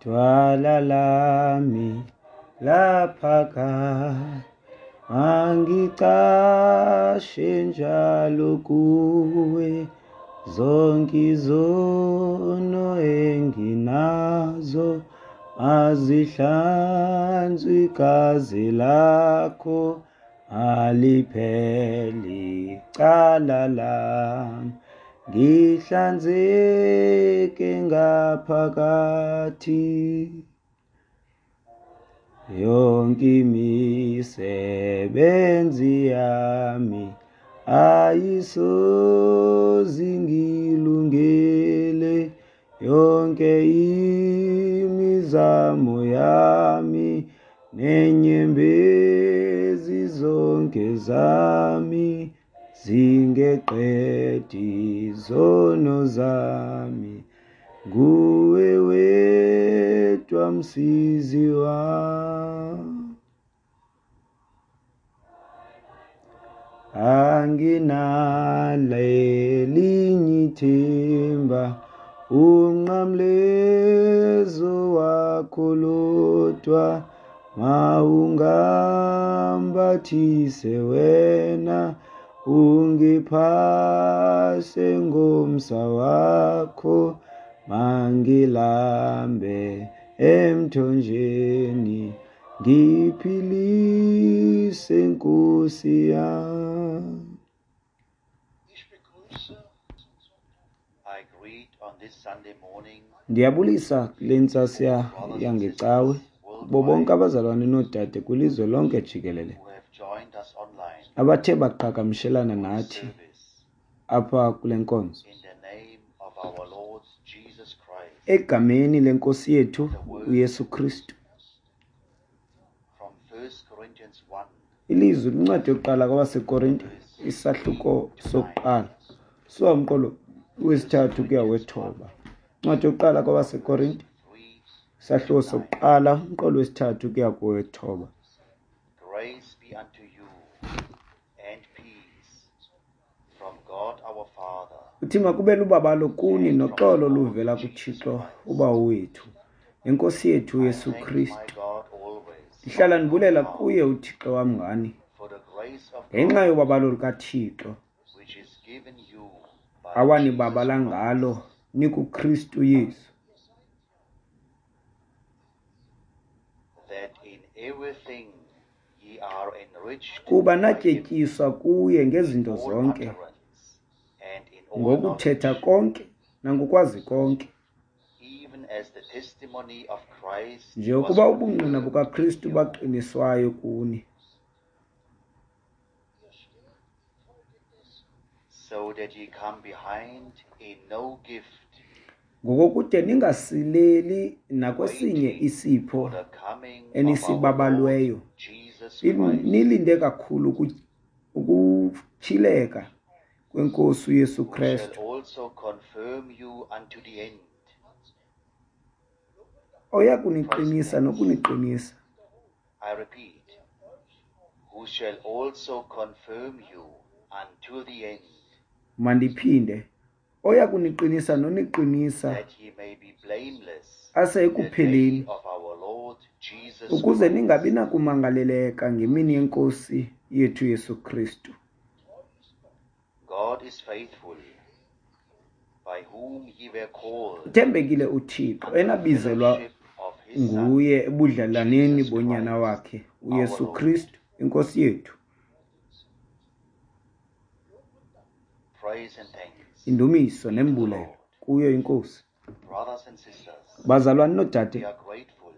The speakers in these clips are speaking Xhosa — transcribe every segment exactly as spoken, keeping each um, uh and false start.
Dwala lami laphakade, mangicashe njalo kuwe, zonke izono enginazo azihlanzwe igazi lakho, alipheli icala lami, ngihlanzeke ngaphakathi. Yonke imisebenzi yami ayisoze ingilungele, yonke imizamo yami nenyembezi zonke zami zingeqedi izono zami, nguwe wedwa msizi wami. Anginalo elinye ithemba, unqamlezo wakho lodwa, mawungambathise wena, ungiphase ngomsa wakho, mangilambe emthonjeni, ngiphilise Nkosi yami. I greet on this Sunday morning Ndiyabulisa kule ntsasa yangecawe kubo bonke abazalwane noodade kwilizwe lonke jikelele who have joined us online abathe baqhagamshelana nathi service apha kule nkonzo. in the name of our Lord Jesus Christ. Egameni lenkosi yethu uYesu Kristu. From First Corinthians one, Ilizwi kwincwadi yokuqala kwabaseKorinte, isahluko sokuqala, suka umqolo wesithathu kuya wethoba. Incwadi yokuqala kwabaseKorinte, three, isahluko sokuqala, umqolo wesithathu kuya kowethoba. Grace be unto you and peace from God our Father Uthi makube lubabalo kuni noxolo luvela kuThixo uBawo wethu, nenkosi yethu uYesu I thank my Kristu. God always Ndihlala ndibulela kuye uThixo wam ngani, for the grace of ngenxa God yobabalo lukaThixo which is given you by awanibabala Jesus Christ, ngalo nikuKristu Yesu, that in everything ye are enriched kuba by him natyetyiswa kuye ngezinto in all zonke, utterance and in all ngokuthetha knowledge, konke nangokwazi konke, even as the testimony of Christ was njengokuba ubungqina confirmed bukaKristu in you, baqiniswayo kuni, so that ye come behind in no gift, ngokokude ningasileli nakwesinye waiting isipho for the coming of our Lord enisibabalweyo, Jesus Lin- Christ, nilinde kakhulu uku- ukutyhileka kwenkosi uYesu who shall Kristu, also confirm you unto the end. oya Present kuniqinisa tense. nokuniqinisa, I repeat, who shall also confirm you unto the end, Mandiphinde, oya kuniqinisa noniqinisa that ye may be blameless ase in the day ekupheleni, of our Lord Jesus ukuze Christ. ningabi nakumangaleleka ngemini yenkosi yethu Yesu Kristu. God is faithful, by whom ye were called Uthembekile uThixo unto the enabizelwa fellowship of his Son, nguye ebudlelaneni Jesus bonyana Christ, wakhe our uYesu Lord. Kristu inkosi yethu. Praise and thanks Indumiso be to the nembulelo Lord. kuyo inkosi. Brothers and sisters, Bazalwane we noodade, are grateful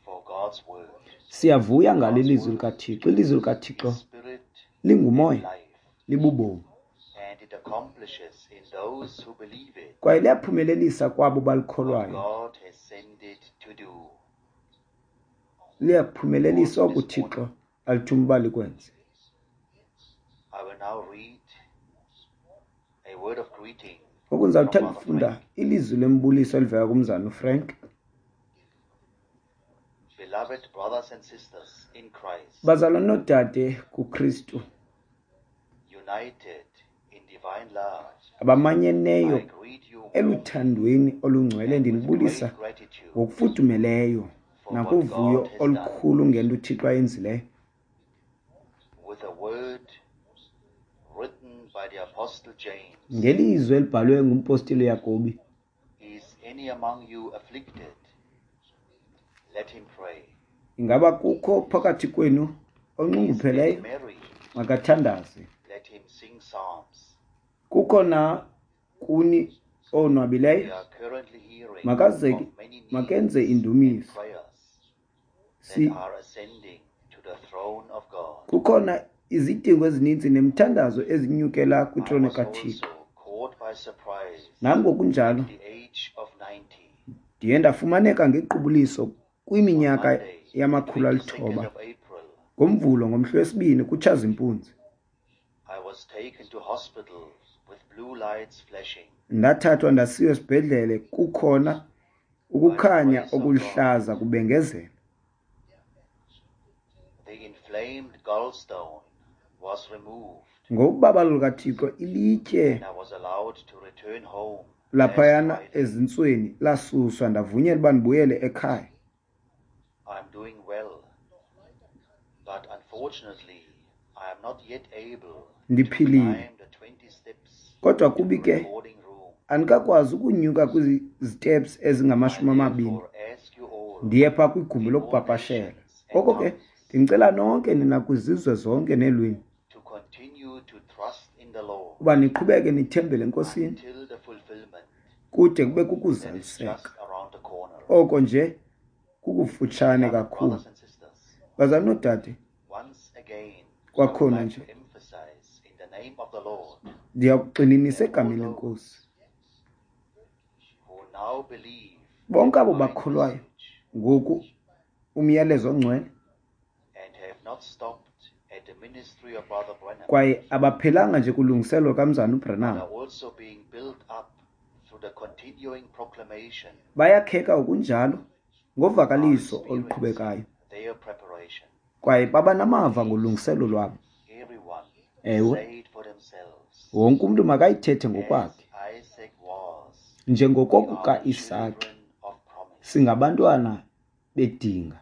for God's word. siyavuya ngalo God's ilizwi word likaThixo. Ilizwi likaThixo is spirit and lingumoya, life, libubomi, and it accomplishes in those who believe it kwaye liyaphumelelisa kwabo what balikholwayo. God has sent it to do. Liyaphumelelisa Also oko this uThixo morning, alithuma uba likwenze. I will now read a word of greeting Ngoku ndizawuthanda from Brother ukufunda Frank. ilizwi lembuliso elivela kumzana uFrank. Beloved brothers and sisters in Christ, Bazalwane noodade kuKristu, united in divine love, abamanyeneyo I greet you Eluthandweni olungcwele and with ndinibulisa great gratitude ngokufudumeleyo for what nakuvuyo God has done. olukhulu ngento uThixo ayenzileyo. With a word written by the Apostle James, Ngelizwi elibhalwe ngumpostile Yakobi, is any among you afflicted? Let him pray. Ingaba kukho phakathi kwenu Is any onxungupheleyo? merry? Makathandaze. Let him sing psalms. Kukho na kuni We onwabileyo? are currently hearing Makaze of many makenze needs and indumiso. prayers that Si are ascending to the throne of God. Kukhona izidingo ezininzi nemithandazo ezinyukela I kwitrone was kaThixo. also caught by surprise Nam ngokunjalo at the age of ninety. ndiye ndafumaneka ngequbuliso On kwiminyaka Monday, the yamakhulu twenty-second alithoba of April, ngoMvulo ngomhla wesibini kuTshazimpunzi. I was taken to hospital with blue lights flashing. Ndathathwa ndasiwa esibhedlele kukhona By the ukukhanya grace of God, okuluhlaza kubengezela. the inflamed gallstone was removed, Ngobabalo lukaThixo ilitye and I was allowed to return home last laphayana Friday. ezintsweni lasuswa ndavunyelwa uba ndibuyele ekhaya. I'm doing well, but unfortunately, I am not yet able to Ndiphilile. climb the twenty steps Kodwa to the kubi ke recording room. andikakwazi ukunyuka kwiziteps I ezingamashumi amabini therefore ask you all, ndiye phaa kwigumbi in all lokupapashela. nations and Ngoko ke tongues, ndicela nonke nina kwizizwe zonke neelwimi to continue to trust in the Lord uba niqhubeke nithembele eNkosini until the fulfillment kude kube that is kukuzaliseka. just around the corner. Oko nje kukufutshane Beloved kakhulu. brothers and sisters, Bazalwane noodade, once again, I would kwakhona like nje to emphasize in the name of the Lord ndiyakugxininisa that all egameni those leNkosi. who now believe the Bonke abo divine bakholwayo message ngoku umyalezo ongcwele and have not stopped at the ministry of Brother Branham, kwaye abaphelanga nje kulungiselelo kamzana but uBranham, are also being built up through the continuing proclamation, bayakheka ngokunjalo are ngovakaliso experiencing oluqhubekayo their preparation. kwaye baba namava Please, ngolungiselelo lwabo. everyone, Ewe, say it for themselves. wonke umntu makayithethe As ngokwakhe. Isaac was, we Njengoko are the kukaIsake, children of promise. singabantwana bedinga.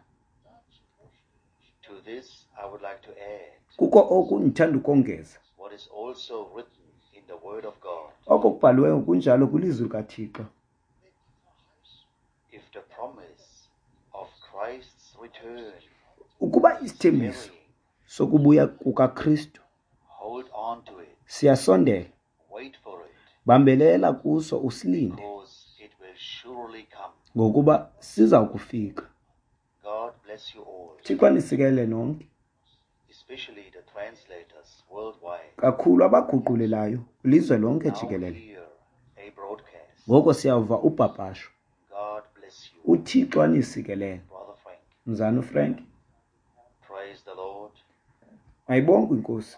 To this, I would like to add Kuko oku ndithanda ukongeza what is also written in the Word of God. oko kubhaliweyo kunjalo kwilizwi likaThixo. If the promise of Christ's return Ukuba is isithembiso tarrying, sokubuya kukaKristu hold on to it, siyasondela, wait for it, bambelela kuso usilinde, because it will surely come. ngokuba siza kufika. God bless you all, Thixo anisikelele nonke, especially the translators worldwide. kakhulu abaguqulelayo kwilizwe lonke Now jikelele. hear a broadcast. Ngoko siyawuva upapasho. God bless you, uThixo anisikelele. Brother Frank. Mzana uFrank, Praise the Lord. mayibongwe iNkosi.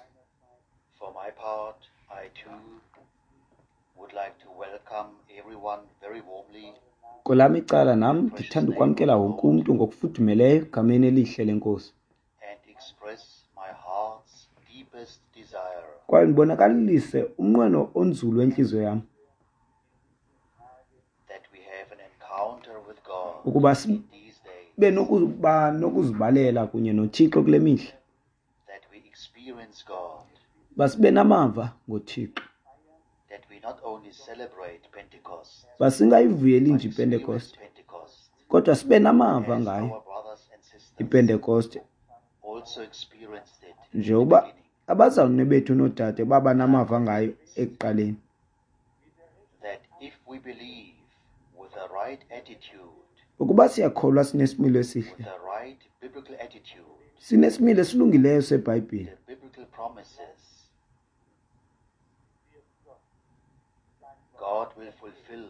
For my part, I too would like to welcome everyone very warmly Kwelam icala in nam the precious ndithanda name of ukwamkela the wonke Lord umntu ngokufudumeleyo egameni elihle leNkosi. and express my heart's deepest desire Kwaye ndibonakalise umnqweno onzulu wentliziyo yam that we have an encounter with God ukuba in these days, sibe nokuba nokuzibalela kunye noThixo kule mihla, that we experience God, uba sibe namava ngoThixo, that we not only celebrate Pentecost, uba singayivuyeli but nje experience iPentekoste, Pentecost kodwa sibe namava as ngayo our brothers and sisters iPentekoste, also experienced it in the njengoba beginning. abazalwane bethu noodade baba I am namava ngayo convinced ekuqaleni. that if we believe with the right attitude, Ukuba siyakholwa sinesimilo with esihle, the right biblical attitude, sinesimilo esilungileyo seBhayibhile, the biblical promises, God will fulfill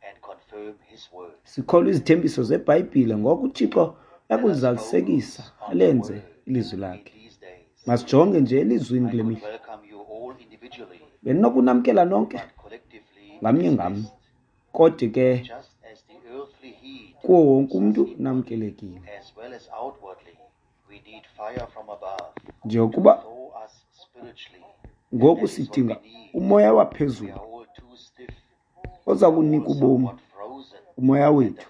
and confirm His word. sikholwa izithembiso zeBhayibhile, ngoko uThixo Let us uyakulizalisekisa focus on the alenze word ilizwi in lakhe. these days. Masijonge nje elizwini I kule could mihla. welcome you all individually, Bendinokunamkela nonke but collectively it ngamnye is ngamnye, best. kodwa ke Just as the earthly heat kuwo wonke warms us umntu inwardly namkelekile. as well as outwardly, we need fire from above to Njengokuba thaw us spiritually, and ngoku that is what we sidinga need. umoya We waphezulu are all too stiff oza kunika ubomi, umoya wethu.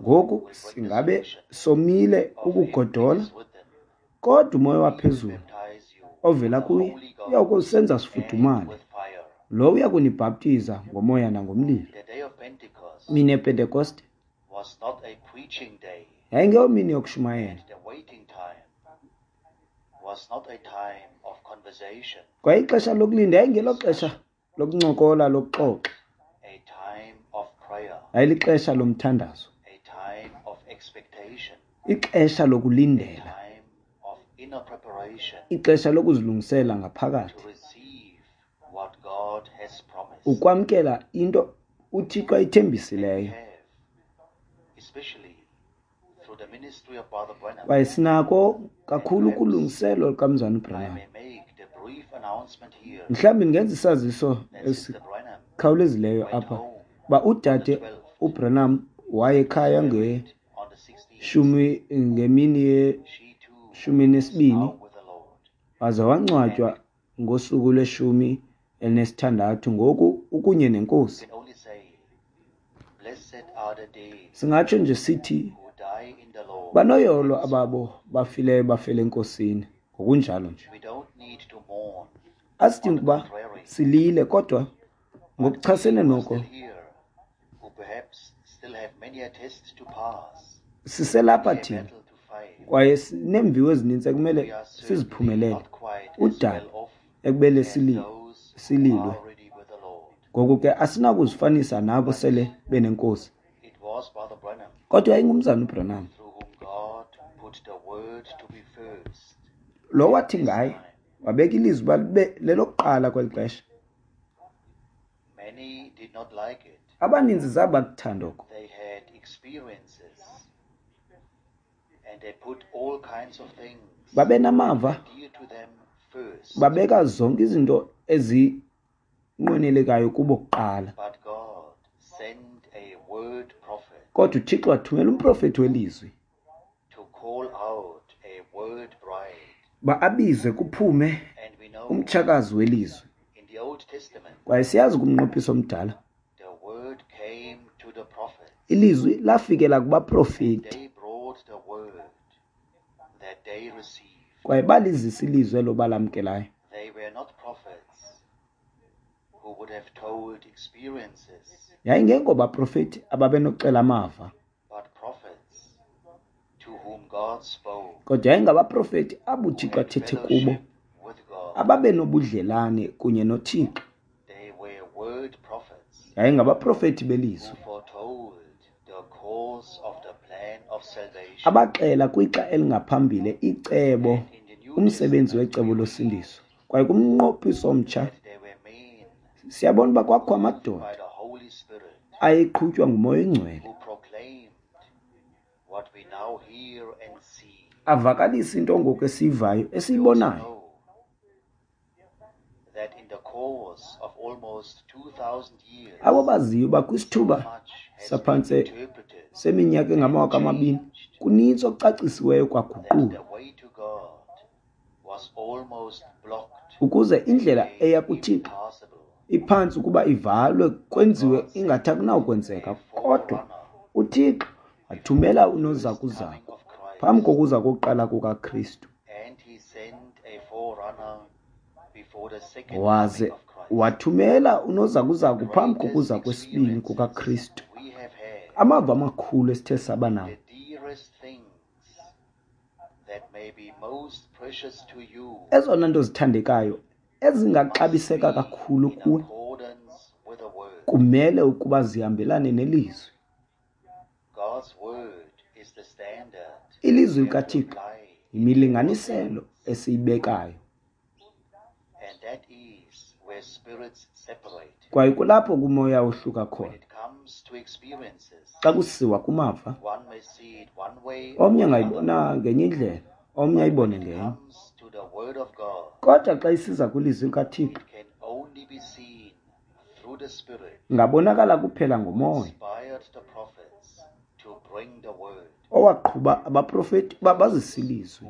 Ngoku singabe somile kukugodola, kodwa umoya waphezulu ovela kuye uya kusenza sifudumale. Lo uya kunibhaptiza ngomoya nangomlilo. Mini yePentekoste yayingeyomini yokushumayela, kwaye ixesha lokulinda yayingeloxesha lokuncokola, lokuxoxa. Yayilixesha lomthandazo, ixesha lokulindela, ixesha lokuzilungisela ngaphakathi ukwamkela into uThixo ayithembisileyo. Kwaye sinako kakhulu ukulungiselwa lukaMzalwana uBranham. Mhlawumbi ndingenza isaziso esikhawulezileyo apha uba udade uBranham waye ekhaya ngeshumi ngemini yeshumi nesibini, waze wangcwatywa ngosuku lweshumi elinesithandathu, ngoku ukunye neNkosi. Singatsho nje sithi banoyolo ababo bafileyo bafele eNkosini, ngokunjalo nje. Asidingi ukuba silile, kodwa ngokuchasene noko siselapha thina, kwaye sineemviwo ezininzi ekumele siziphumelele, udaba ekubele sililwe. Ngoku ke asinakuzifanisa nabo sele benenkosi. Kodwa yayingumzalwana uBranham lo wathi ngaye wabeka ilizwi uba libe lelokuqala kweli xesha. Abaninzi zabakuthanda oko. Babenamava, babeka zonke izinto ezinqwenelekayo kubo kuqala. Kodwa uThixo wathumela umprofethi welizwi ba abize kuphume umtshakazi welizwi. Kwaye siyazi kumnqophiso omdala ilizwi lafikela kubaprofeti, kwaye balizisa ilizwi elo balamkelayo. Yayingengobaprofeti ababenokuxela amava, kodwa yayingabaprofeti abo uThixo athethe kubo, ababenobudlelane kunye noThixo. Yayingabaprofeti belizwi abaxela kwixa elingaphambili icebo, umsebenzi wecebo losindiso. Kwaye kumnqophiso omtsha siyabona uba kwakho amadoda ayeqhutywa nguMoya oyiNgcwele avakalisa into ngoku esiyivayo, esiyibonayo. Abo baziyo uba kwisithuba saphantse seminyaka engamawaka amabini kunintsi okucacisiweyo kwaguqulwa ukuze indlela eya kuThixo iphantsi ukuba ivalwe, kwenziwe ingathi akunawukwenzeka. Kodwa uThixo wathumela unozakuzaku phambi kokuza kokuqala kukaKristu, waze wathumela unozakuzaku phambi kokuza kwesibini kukaKristu. Amava amakhulu esithe saba nawo, ezona nto zithandekayo ezingaxabiseka kakhulu kuwe, kumele ukuba zihambelane nelizwi. Ilizwi likaThixo yimilinganiselo esiyibekayo, kwaye kulapho kumoya ohluka khona. Xa kusiwa kumava, omnye angayibona ngenye indlela, omnye ayibone ngenye. Kodwa xa isiza kwilizwi likaThixo, ingabonakala kuphela ngomoya owaqhuba abaprofeti uba bazise ilizwi.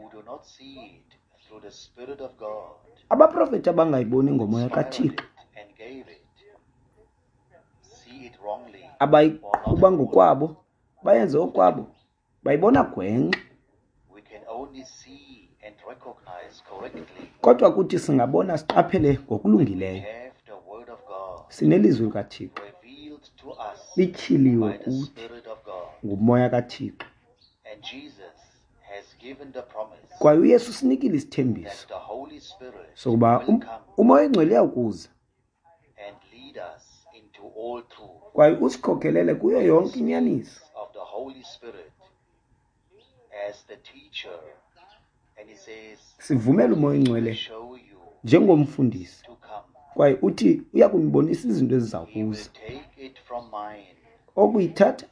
Abaprofeti abangayiboni ngomoya kaThixo Abayiqhuba ngokwabo, bayenze okwabo, bayibona gwenxa. Kodwa kuthi singabona siqaphele ngokulungileyo. Sinelizwi likaThixo lityhiliwe kuthi nguMoya kaThixo. Kwaye uYesu usinikile isithembiso sokuba uMoya oyiNgcwele uyawukuza kwaye usikhokelele kuyo yonke inyaniso. Sivumele uMoya oyiNgcwele njengomfundisi, kwaye uthi uya kunibonisa izinto eziza kuza. Okuyithatha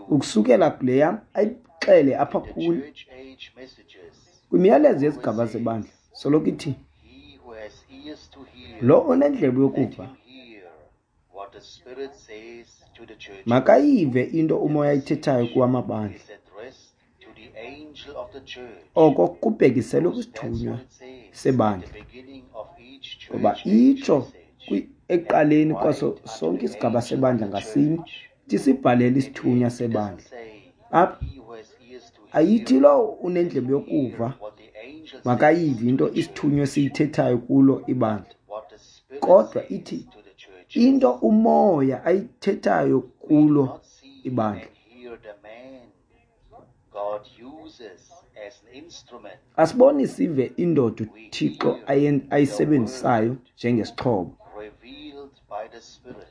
ukusukela kule yam ayixele apha kuni. Kwimiyalezo yezigaba zebandla soloko ithi, lo onendlebe yokuva makayive into uMoya ayithethayo kuwamabandla. Oko kubhekiselwe kwisithunywa sebandla, ngoba itsho ekuqaleni kwaso sonke isigaba sebandla ngasinye ithi sibhalele isithunywa sebandla. Apha ayithi lowo unendlebe yokuva makayive into isithunywa esiyithethayo kulo ibandla, kodwa ithi into uMoya ayithethayo kulo ibandla. Asiboni sive indoda uThixo ayisebenzisayo njengesixhobo.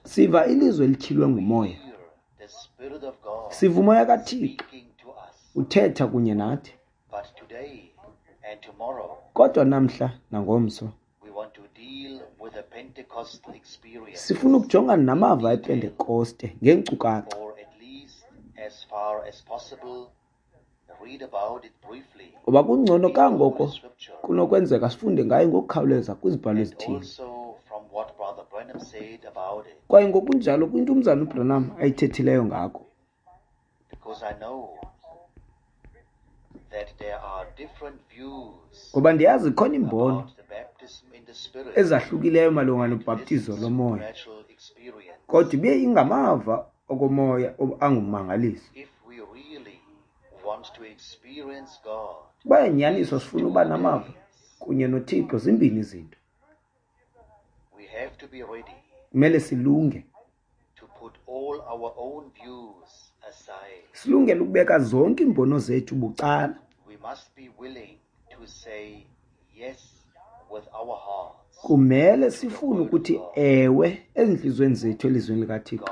Siva ilizwi elityhilwe nguMoya. Siva uMoya kaThixo uthetha kunye nathi. Kodwa namhla nangomso sifuna ukujongana namava ePentekoste ngeenkcukacha, ngoba kungcono kangoko kunokwenzeka sifunde ngayo ngokukhawuleza kwizibhalo ezithile. Kwaye ngokunjalo kwinto umzana uBranham ayithethileyo ngako. Ngoba ndiyazi khona iimbono ezahlukileyo malunga nobhaptizo lomoya, kodwa ibe ingamava okomoya angummangaliso. Uba inyaniso sifuna uba namava kunye noThixo, zimbini izinto. Kumele silunge. Silungele ukubeka zonke iimbono zethu bucala. Kumele sifune ukuthi ewe ezintliziyweni zethu elizwini likaThixo.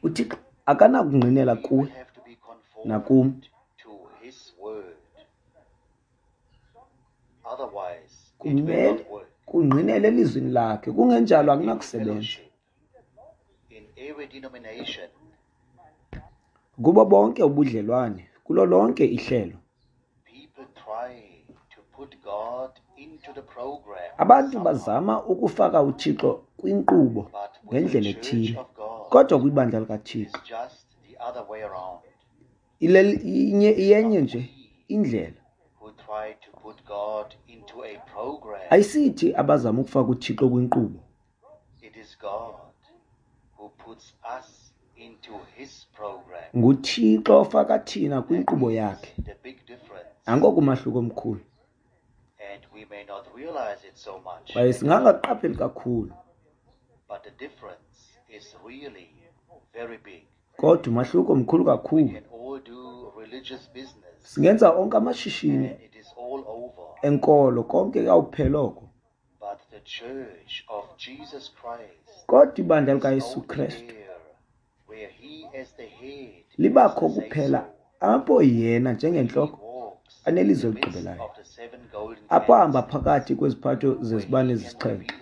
UThixo akanakungqinela kuwe nakum. Kumele kungqinele elizwini lakhe, kungenjalo akunakusebenza. Kubo bonke ubudlelwane, kulo lonke ihlelo, abantu bazama ukufaka uThixo kwinkqubo ngendlela ethile, kodwa kwibandla likaThixo iyenye nje indlela. Ayisithi abazama ukufaka uThixo kwinkqubo. NguThixo ofaka thina kwinkqubo yakhe. Nangoku umahluko omkhulu. Kwaye singangaqapheli kakhulu, kodwa umahluko mkhulu kakhulu. Singenza onke amashishini enkolo, konke kuyawuphela oko. Kodwa ibandla likaYesu Kristu libakho kuphela apho yena njengentloko anelizwi eligqibelayo, apho ahamba phakathi kweziphatho zezibane ezisixhenxe,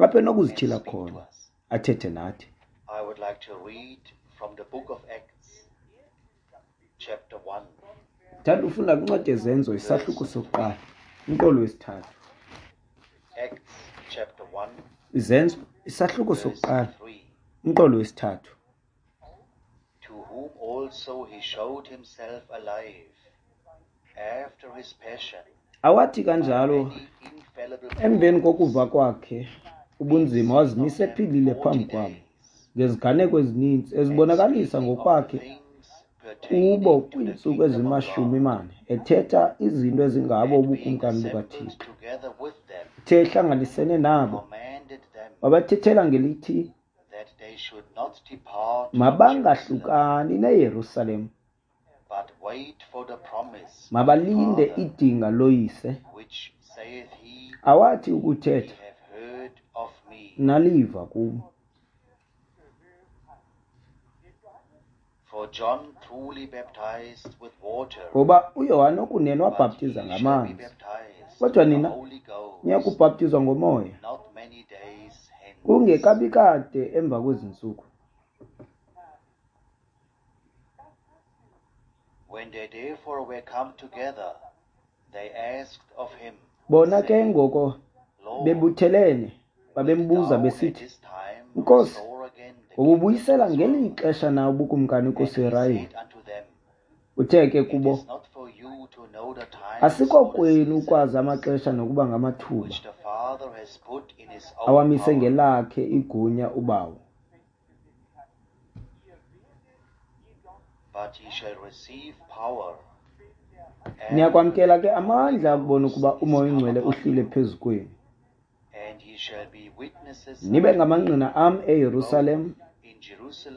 apho enokuzityhila khona athethe nathi. Ndithanda ufunda kwincwadi yeZenzo isahluko sokuqala, umqolo wesithathu. Izenzo isahluko sokuqala, umqolo wesithathu. To whom also he showed himself alive after his passion Awathi kanjalo Emveni kokuva kwakhe ubunzima wazimisa ephilile phambi kwabo ngeziganeko ezininzi ezibonakalisa ngokwakhe kubo kwiintsuku ezimashumi mane, ethetha izinto ezingabo ubukumkani bukaThixo. Uthe ehlanganisene nabo wabathethela ngelithi mabangahlukani neYerusalem, mabalinde idinga loyise awathi ukuthetha naliva kum. Ngoba uYohane okunene wabhaptiza ngamanzi, kodwa nina niya kubhaptizwa ngoMoya kungekabi kade emva kwezi ntsuku. Bona ke ngoko bebuthelene babembuza besithi, Nkosi, wobubuyisela ngeli xesha na ubukumkani kuSirayeli? Uthe ke kubo, asikokwenu ukwazi amaxesha nokuba ngamathuba awamise ngelakhe igunya uBawo. Niyakwamkela ke amandla akubona ukuba uMoya oNgcwele uhlile phezu kwenu, nibe ngamangqina am eYerusalem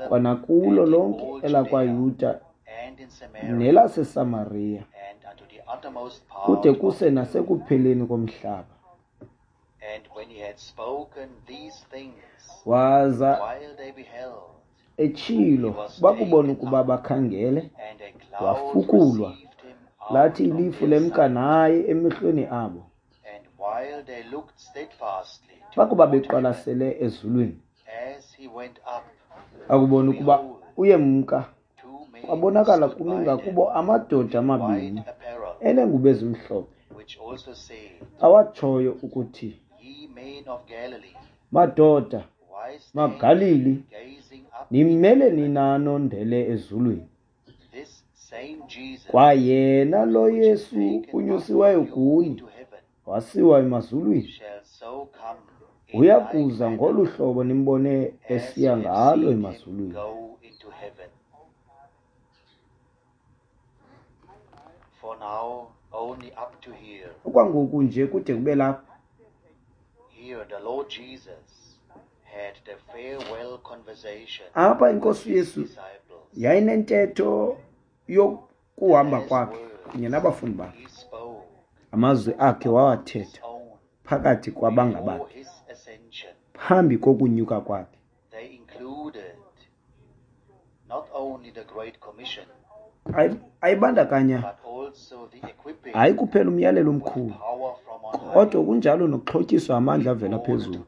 kwanakulo lonke elakwaYuda nelaseSamariya, kude kuse nasekupheleni komhlaba. Waza etshilo bakubona ukuba bakhangele, wafukulwa, lathi ilifu lemka naye emehlweni abo. Bakuba beqwalasele ezulwini, akubona ukuba uyemka, kwabonakala kumi ngakubo amadoda amabini eneengubo ezimhlophe, awatshoyo ukuthi, Madoda, maGalili, nimele nina nondele ezulwini? Kwayena lo Yesu unyusiweyo kuni wasiwa emazulwini, uya kuza ngolu hlobo nimbone esiya ngalo emazulwini. Okwangoku nje kude kube lapha. Apha iNkosi uYesu yayinentetho yokuhamba kwakhe kunye nabafundi bakhe. Amazwi akhe wawathetha phakathi kwabangabakhe phambi kokunyuka kwakhe. Ayibandakanya hayi kuphela umyalelo omkhulu, kodwa kunjalo nokuxhotyiswa amandla avela phezulu,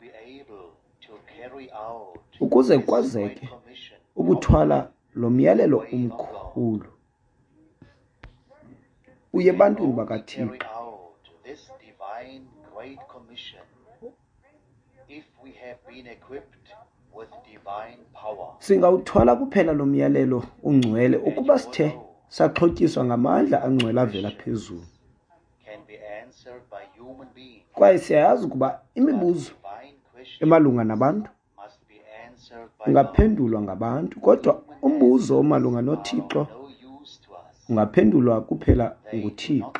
ukuze kwazeke ukuthwala lo myalelo omkhulu uye ebantwini bakaThixo. Singawuthwala kuphela lo myalelo ungcwele ukuba sithe saxhotyiswa ngamandla angcwele avela phezulu. Kwaye siyayazi ukuba imibuzo emalunga nabantu ungaphendulwa ngabantu, kodwa umbuzo omalunga noThixo ungaphendulwa kuphela nguThixo.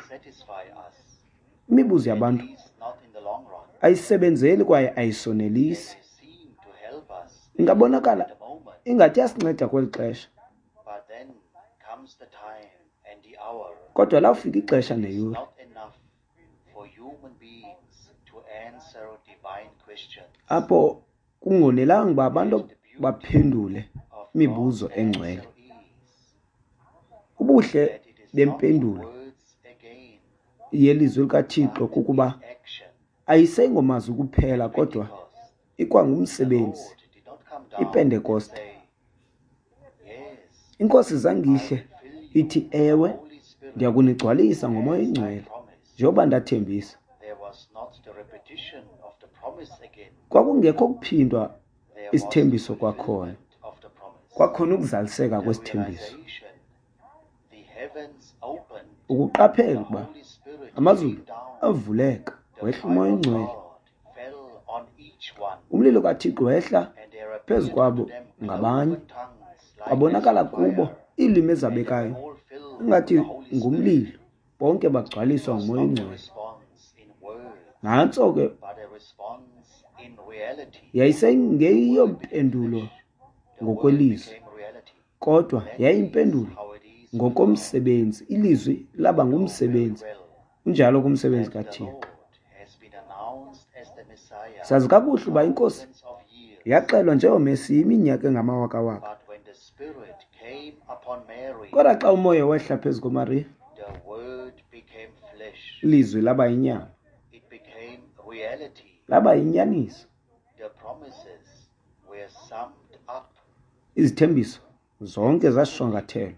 Imibuzo yabantu ayisebenzeli kwaye ayisonelisi. Ingabonakala ingathi iyasinceda kweli xesha, kodwa lawufika ixesha neyure apho kungonelanga uba abantu baphendule imibuzo engcwele. Ubuhle bempendulo yelizwi likaThixo kukuba ayisengomazwi kuphela, kodwa ikwangumsebenzi. IPentekoste, iNkosi zange ihle ithi, ewe, ndiyakunigcwalisa ngoMoya oNgcwele njengoba ndathembisa. Kwakungekho kuphindwa isithembiso kwakhona, kwakhona ukuzaliseka kwesithembiso. Ukuqaphela ukuba amazulu avuleka, Wehla uMoya oyiNgcwele. Umlilo kaThixo wehla phezu kwabo ngabanye, kwabonakala kubo iilwimi ezabekayo ingathi ngumlilo, bonke bagcwaliswa nguMoya oyiNgcwele. Nantso ke yayisengeyompendulo ngokwelizwi, kodwa yayimpendulo ngokomsebenzi. Ilizwi laba ngumsebenzi, unjalo kumsebenzi kaThixo. Sazi kakuhle uba iNkosi yaxelwa njengoMesiya iminyaka engamawakawaka. Kodwa xa uMoya wehla phezu koMariya, ilizwi laba yinyama, laba yinyaniso. Izithembiso zonke zashwangathelwa.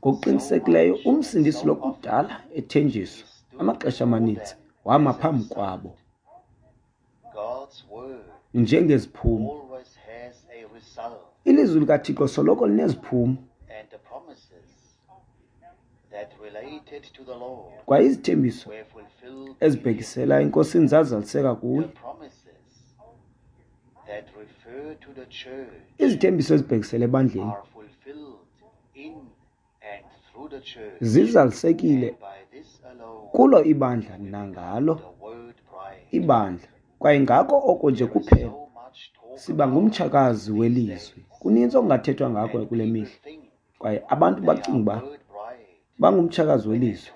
Ngokuqinisekileyo uMsindisi lo kudala ethenjiswa amaxesha amaninzi wama phambi kwabo njengeziphumo. Ilizwi likaThixo soloko lineziphumo, kwaye izithembiso ezibhekisela eNkosini zazaliseka kuye. Izithembiso ezibhekisela ebandleni zizalisekile kulo ibandla nangalo ibandla, kwaye ngako oko nje kuphela siba ngumtshakazi welizwi. Kuninzi okungathethwa ngako kule mihla, kwaye abantu bacinga uba bangumtshakazi welizwi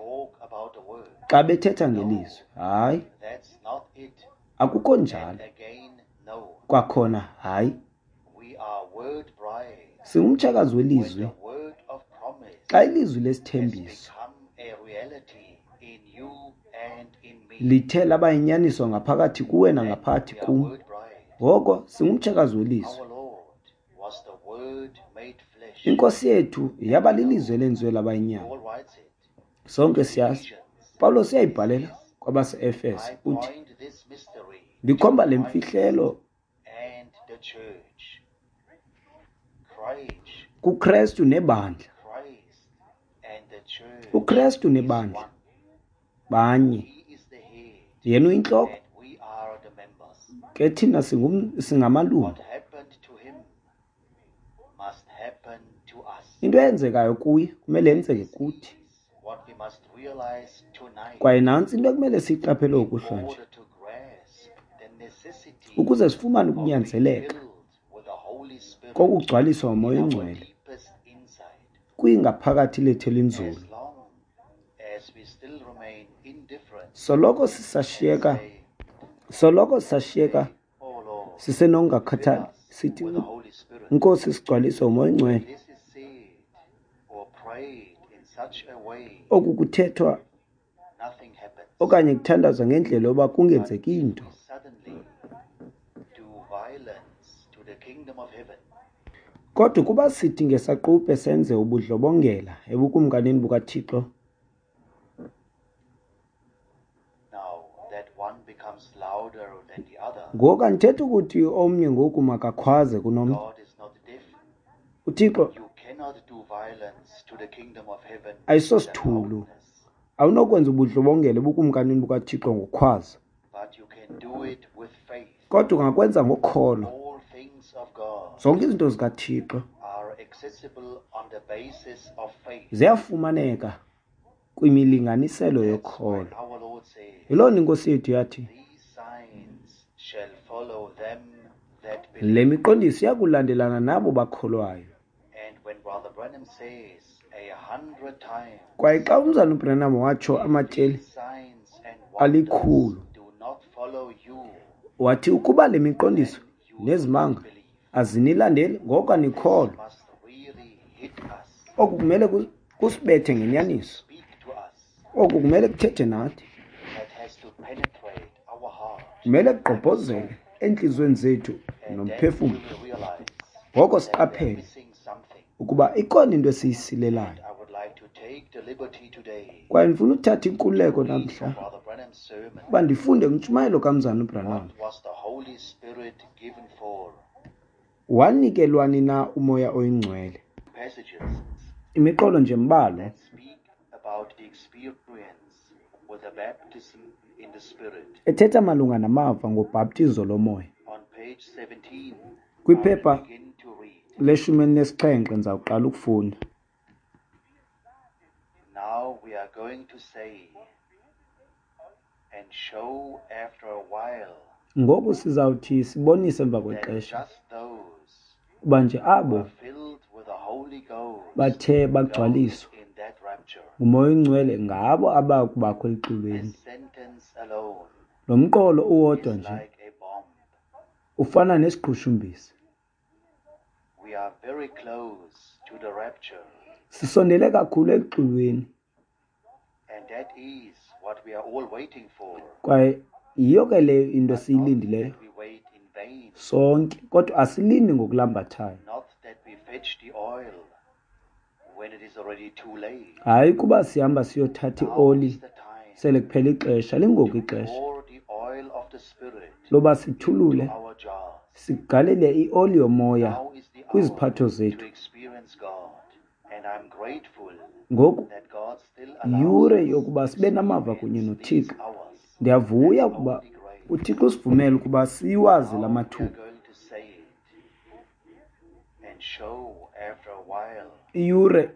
xa bethetha ngelizwi. Hayi, akukho njalo. Kwakhona hayi, singumtshakazi welizwi xa ilizwi lesithembiso lithe laba yinyaniso ngaphakathi kuwe nangaphakathi kum, ngoko singumtshakazi welizwi. Inkosi yethu yaba lilizwi elenziwe laba yinyama. Sonke siyazi. Pawulos uyayibhalela kwabase-Efese uthi, ndikhomba le mfihlelo kuKrestu nebandla. UKrestu nebandla banye. Yena uyintloko, ke thina singamalungu. Into eyenzekayo kuye kumele yenzeke kuthi. Kwaye nantsi into ekumele siyiqaphele ngokuhlwa nje, ukuze sifumane ukunyanzeleka kokugcwaliswa nguMoya oyiNgcwele kwingaphakathi lethu elinzulu. Soloko sisashiyeka, soloko sisashiyeka sisenokungakhathali, sithi Nkosi sigcwaliswe nguMoya oyiNgcwele. Oku kuthethwa okanye kuthandazwa ngendlela yoba kungenzeki into. Kodwa ukuba sithi ngesaquphe senze ubudlobongela ebukumkanini bukaThixo, ngoku andithethi ukuthi omnye ngoku makakhwaze kunomnye. UThixo ayisosithulu. Awunokwenza ubudlobongela ebukumkanini bukaThixo ngokukhwaza, kodwa ungakwenza ngokholo. Zonke izinto zikaThixo ziyafumaneka kwimilinganiselo yokholo. Yiloo nto iNkosi yethu yathi, le miqondiso iyakulandelana nabo bakholwayo. Kwaye xa umzalwana uBranham watsho amatyeli alikhulu, wathi ukuba le miqondiso nezimanga azinilandeli, ngoko anikholwa. Oku kumele kusibethe ngenyaniso. Oku kumele kuthethe nathi. Kumele kugqobhozele entliziyweni zethu nomphefumlo. Ngoko siqaphele ukuba ikhona into esiyisilelayo. Kwaye ndifuna uthatha inkululeko namhla uba ndifunde kwintshumayelo kamzalwana uBranham. Wanikelwani na uMoya oyiNgcwele? Imiqolo nje mbalwa Ethetha malunga namava ngobhaptizo lomoya. Kwiphepha leshumi elinesixhenxe ndizawuqala ukufunda. Now we are going to say and show after a while Ngoku sizawuthi sibonise emva kwexesha uba nje abo bathe bagcwaliswa nguMoya oyiNgcwele ngabo abakubakho elixulweni. Lo mqolo uwodwa nje ufana nesiqhushumbisi. Sisondele kakhulu ekuxulweni. Kwaye yiyo ke leyo into esiyilindileyo sonke, kodwa asilindi ngokulambathayo. Hayi kuba sihamba siyothatha ioli sele kuphela ixesha, lingoku ixesha loba sithulule sigalele ioli yomoya kwiziphatho zethu. Ngoku yure yokuba sibe namava kunye noThixo. Ndiyavuya ukuba uThixo usivumele ukuba siwazi la mathuba. Iyure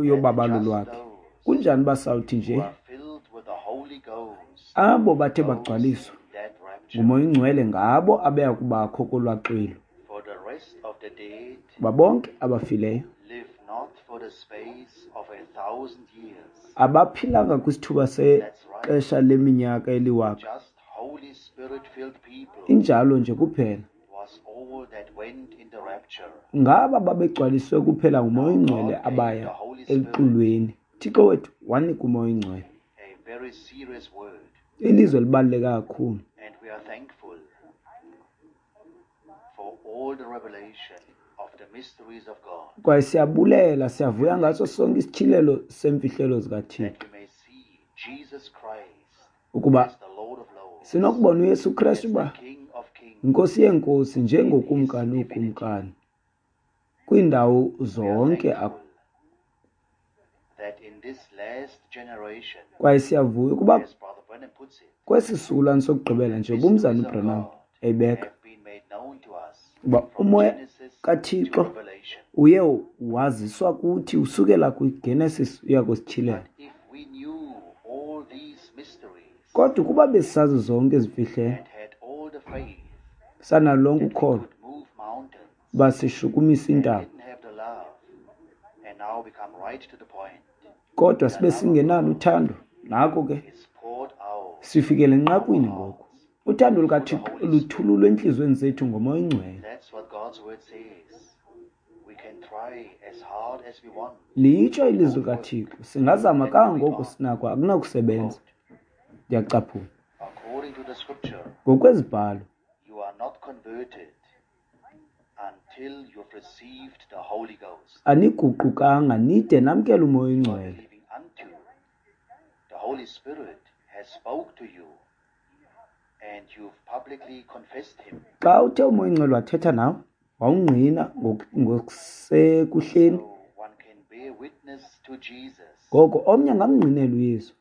yobabalo lwakhe. Kunjani uba sawuthi nje abo bathe bagcwaliswa nguMoya oyiNgcwele ngabo abeya kubakho kolwaa xwilo. Kuba bonke abafileyo abaphilanga kwisithuba sexesha leminyaka eliwaka. Injalo nje kuphela. Ngaba babegcwaliswe kuphela nguMoya oyiNgcwele abaya ekuxulweni. Thixo wethu wanika uMoya oyiNgcwele ilizwe libaluleke kakhulu. Kwaye siyabulela, siyavuya ngaso sonke isityhilelo semfihlelo zikaThixo, ukuba sinokubona uYesu Kristu uba iNkosi yeenkosi njengokumkani ukumkani kwiindawo zonke. Kwaye siyavuya ukuba kwesi sizukulwane sokugqibela nje ubumzana uBranham eyibeka uba umoya kaThixo uye waziswa kuthi usukela kwiGenesis uya kwisityhilelo. Kodwa ukuba besisazi zonke izimfihlelo, sanalo lonke ukholo uba sishukumisa iintaba, kodwa sibe singenalo uthando, nako ke sifikele enqakwini ngoku. Uthando lukaThixo luthululwe entliziyweni zethu ngoMoya oyiNgcwele. Litsho ilizwi likaThixo, singazama kangangoko sinako, akunakusebenza. Ndiyacaphula. Ngokwezibhalo, aniguqukanga nide namkele uMoya oyiNgcwele. Xa uthe uMoya oyiNgcwele wathetha nawe, wawungqina ngokusekuhleni, ngoko omnye angamngqinela uYesu,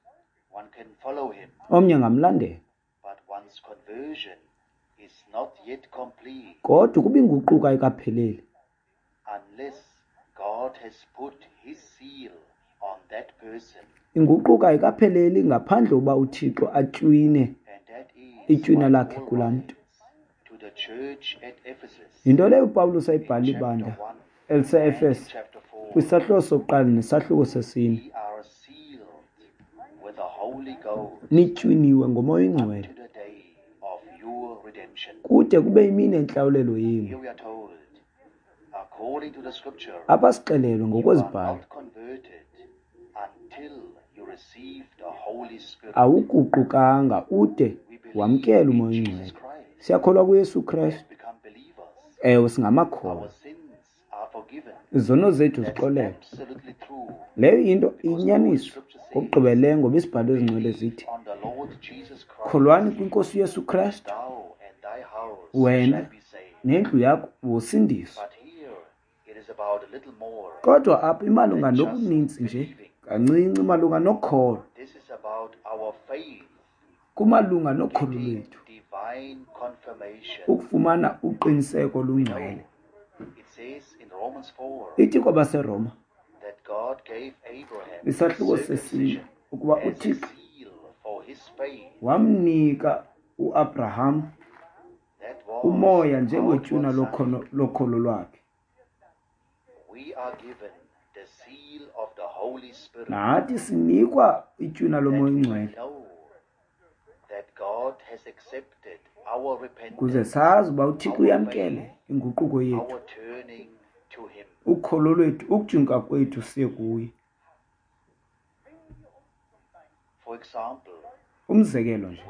omnye angamlandela. Kodwa ukuba inguquko ayikapheleli, inguquko ayikapheleli ngaphandle uba uThixo atywine itywina lakhe kulaa mntu. Yinto leyo uPawulos ayibhala ibandla elise-Efese kwisahluko sokuqala nesahluko sesine. Nitywiniwe ngoMoya oyiNgcwele kude kube yimini yentlawulelo yenu. Apha sixelelwe ngokwezibhalo, awuguqukanga ude wamkele uMoya oyiNgcwele. Siyakholwa kuYesu Kristu. Ewe, singamakholwa. Izono zethu zixolelwe. Leyo into iyinyaniso ngokugqibeleleyo, ngoba isibhalo ezingcwele zithi, kholwani kwiNkosi uYesu Kristu, wena nendlu yakho wosindiswa. Kodwa apha imalunga nokunintsi nje Kancinci malunga nokholo. Kumalunga nokholo lwethu. Ukufumana uqiniseko olungcwele. Ithi kwabaseRoma isahluko sesine ukuba uThixo wamnika uAbraham umoya njengetywina lokholo lwakhe. Nathi sinikwa itywina loMoya oyiNgcwele ukuze sazi uba uThixo uyamkele inguquko yethu, ukholo lwethu, ukujinga kwethu siye kuye. Umzekelo nje,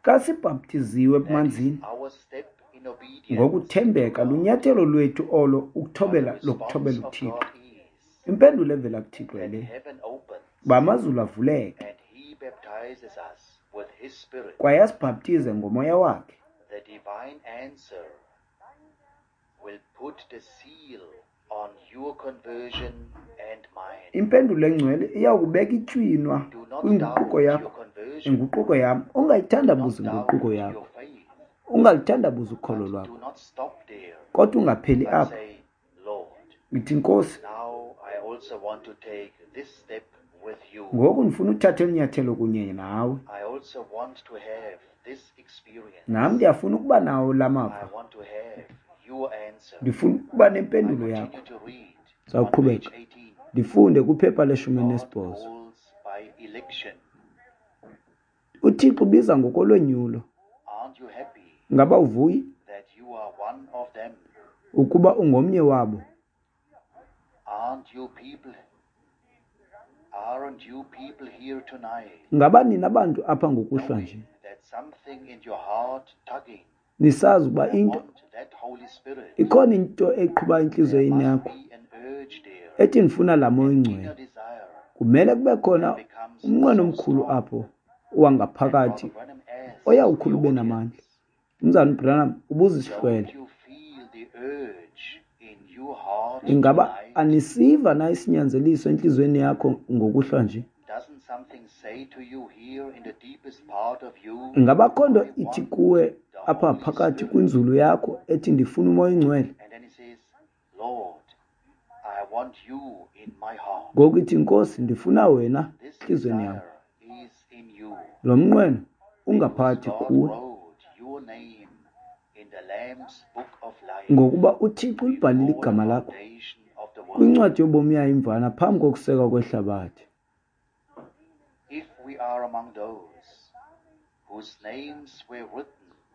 xa sibhaptiziwe emanzini ngokuthembeka lunyathelo lwethu olo ukuthobela lokuthobela uThixo. Impendulo evela kuThixo le uba amazulu avuleke kwaye asibhaptize ngomoya wakhe. Impendulo engcwele iyawukubeka itywinwa kwinguquko yakho, inguquko yam. Ungayithandabuzi inguquko yakho, ungalithandabuzi ukholo lwakho, kodwa ungapheli apho. Ithi Nkosi, ngoku ndifuna uthatha inyathelo kunye nawe. Nam ndiyafuna ukuba nawo la mava. Ndifuna ukuba nempendulo yakho. Sawuqhubeka ndifunde kwiphepha leshumi nesibhozo. uThixo ubiza ngokolonyulo. Ngaba uvuyi ukuba ungomnye wabo? Ngaba nina bantu apha ngokuhlwa nje nisazi ukuba into ikhona into eqhuba intliziyo yakho ethi ndifuna laa Moya oyiNgcwele? Kumele kube khona umnqweno omkhulu apho wangaphakathi oyawukhula ube namandla. Umzalwana uBranham ubuza isihlwele, ingaba anisiva na isinyanzeliso entliziyweni yakho ngokuhlwa nje? Ingaba akho nto ithi kuwe apha phakathi kwinzulu yakho ethi ndifuna uMoya oyiNgcwele? Ngoku ithi Nkosi, ndifuna wena entliziyweni yam. Lo mnqweno ungaphakathi kuwe, ngokuba uThixo ulibhalile igama lakho kwincwadi yobomi yayo imvana phambi kokusekwa kwehlabathi.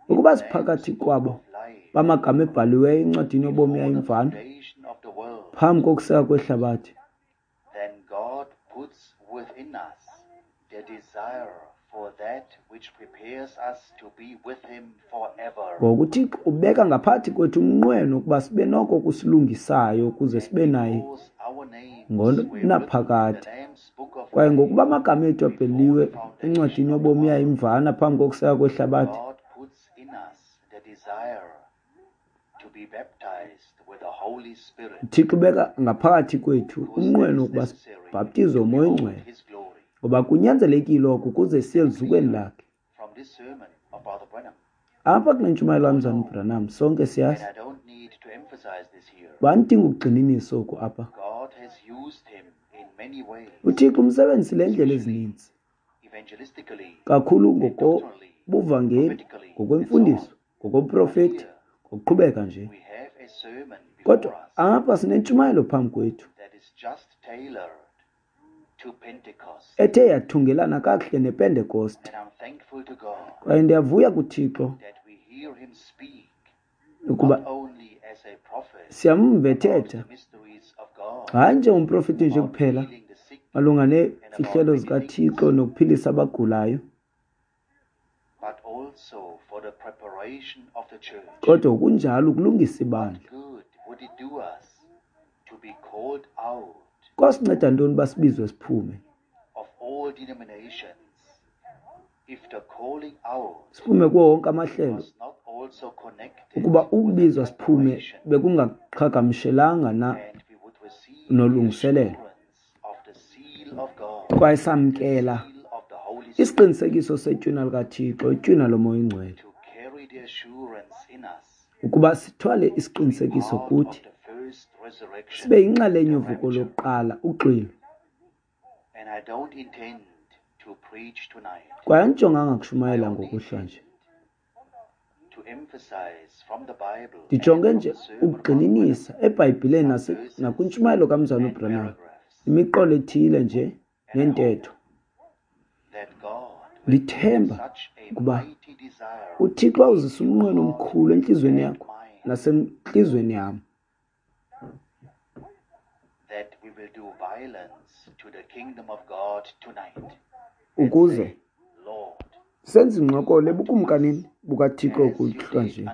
Ukuba siphakathi kwabo bamagama ebhaliweyo encwadini yobomi yayo imvana phambi kokusekwa kwehlabathi, ngoku uThixo ubeka ngaphakathi kwethu umnqweno ukuba sibe noko kusilungisayo ukuze sibe naye ngonaphakade. Kwaye ngokuba amagama ethu abhaliwe encwadini yobomi yayo imvana phambi kokusekwa kwehlabathi, uThixo ubeka ngaphakathi kwethu umnqweno wokuba sibhaptizwe uMoya oyiNgcwele, ngoba kunyanzelekile oko ukuze siye eluzukweni lakhe. Apha kule ntshumayelo kaMzalwana uBranham sonke siyazi bandidinga ukugxininisa oku apha. uThixo umsebenzisile ngeendlela ezininzi, kakhulu ngokobuvangeli, ngokwemfundiso, ngokoprofeti, ngokuqhubeka nje. Kodwa apha sinentshumayelo phambi kwethu ethe yathungelana kakuhle nePentekoste. Kwaye ndiyavuya kuThixo ukuba siyamva ethetha, hayi njengomprofeti nje kuphela malunga neemfihlelo zikaThixo nokuphilisa abagulayo, kodwa kunjalo ukulungisa ibandla. Kwasinceda ntoni uba sibizwe siphume? Siphume kuwo wonke amahlelo, ukuba ukubizwa siphume bekungaqhagamshelanga na nolungiselelo, kwaye samkela isiqinisekiso setywina likaThixo, itywina loMoya oyiNgcwele, ukuba sithwale isiqinisekiso kuthi, sibe yinxalenye yovuko lokuqala, uxwilo. Kwaye andijonganga kushumayela ngokuhlwa nje. Ndijonge nje ukugxininisa eBhayibhileni nakwintshumayelo kaMzalwana uBranham, imiqolo ethile nje nentetho. Ndithemba ukuba uThixo awuzisa umnqweno omkhulu entliziyweni yakho nasentliziyweni yam, ukuze senze ingxokolo ebukumkanini bukaThixo kuhlwa nje.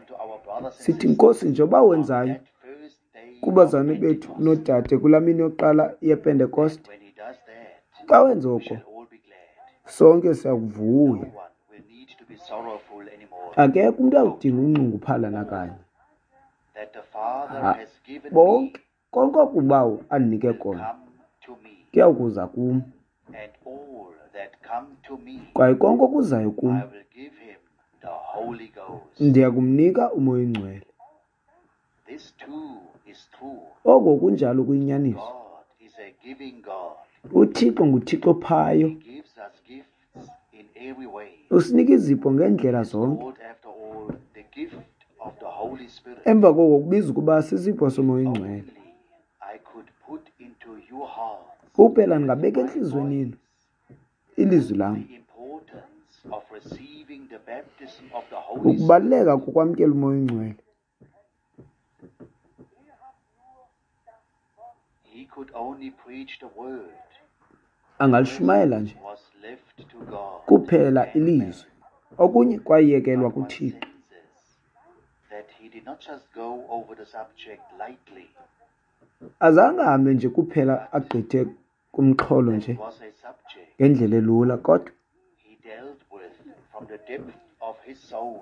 Sithi, Nkosi, njengoba wenzayo kubazalwane bethu noodade kulaa mini yokuqala yePentekoste, xa wenza oko, sonke siyakuvuya. Akekho umntu awudinga unxunguphala nakanye. Bonke konke okubawo andinike kona kuyawukuza kum, kwaye konke okuzayo kum ndiya kumnika uMoya oyiNgcwele. Oko kunjalo kuyinyaniso. UThixo nguThixo ophayo. Usinika izipho ngeendlela zonke. Emva koko kubiza ukuba sisipho soMoya oyiNgcwele. Kuphela ndingabeka entliziyweni yenu ilizwi lam, ukubaluleka kokwamkela uMoya oyiNgcwele. Angalishumayela nje kuphela ilizwi, okunye kwayekelwa kuThixo. Azange ahambe nje kuphela agqithe kumxholo nje ngendlela elula, kodwa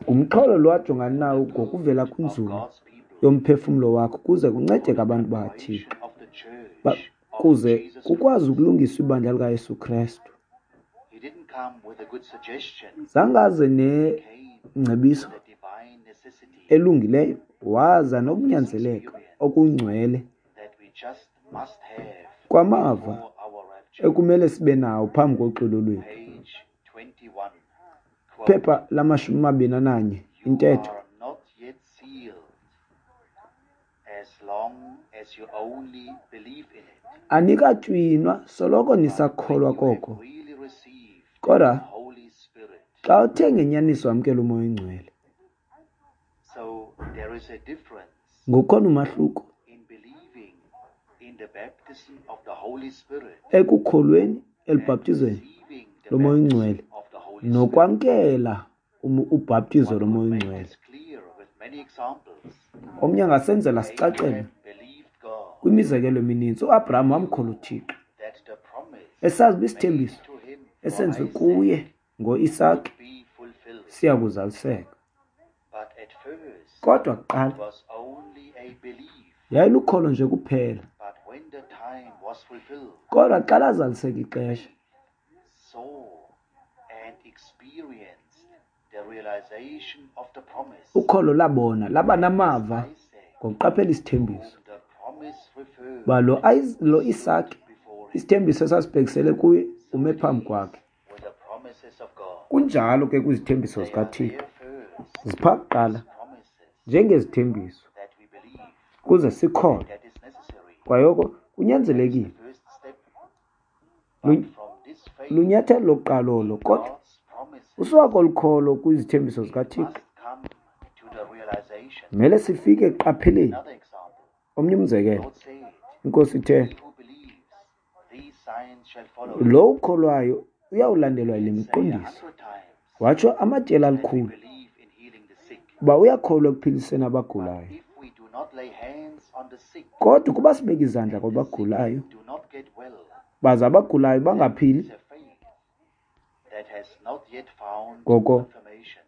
ngumxholo lo ajongana nawo ngokuvela kwinzulu yomphefumlo wakhe ukuze kuncedeke abantu bakaThixo, kuze kukwazi ukulungiswa ibandla likaYesu Krestu. Zange aze nengcebiso elungileyo, waza nokunyanzeleka okungcwele kwamava ekumele sibe nawo phambi koxwilo lwethu. Phepha lamashumi amabini ananye, intetho. Anikatywinwa soloko nisakholwa koko, kodwa xa uthe ngenyaniso wamkela uMoya oyiNgcwele, ngukhona umahluko ekukholweni elubhaptizweni loMoya oyiNgcwele nokwamkela ubhaptizo loMoya oyiNgcwele. Omnye angasenzela sicacele kwimizekelo emininzi. UAbraham wamkholwa uThixo, esazi uba isithembiso esenziwe kuye ngoIsake siya kuzaliseka. Kodwa kuqala yayilukholo nje kuphela. Kodwa xa lazaliseka ixesha, ukholo labona laba namava ngokuqaphela isithembiso uba lo, lo Isake, isithembiso esasibhekisele kuye, ume phambi kwakhe. Kunjalo ke kwizithembiso zikaThixo, zipha kuqala njengezithembiso kuze sikholwe, kwaye oko kunyanzelekile. Lunyathelo lokuqala olo, kodwa usuka kolu kholo kwizithembiso zikaThixo mele sifike ekuqapheleni. Omnye umzekelo, iNkosi ithe, lo ukholwayo uyawulandelwa yile miqondiso. Watsho amatyeli alikhulu uba uyakholwa ekuphiliseni abagulayo. Kodwa ukuba sibeka izandla kwabagulayo, baze abagulayo bangaphili, ngoko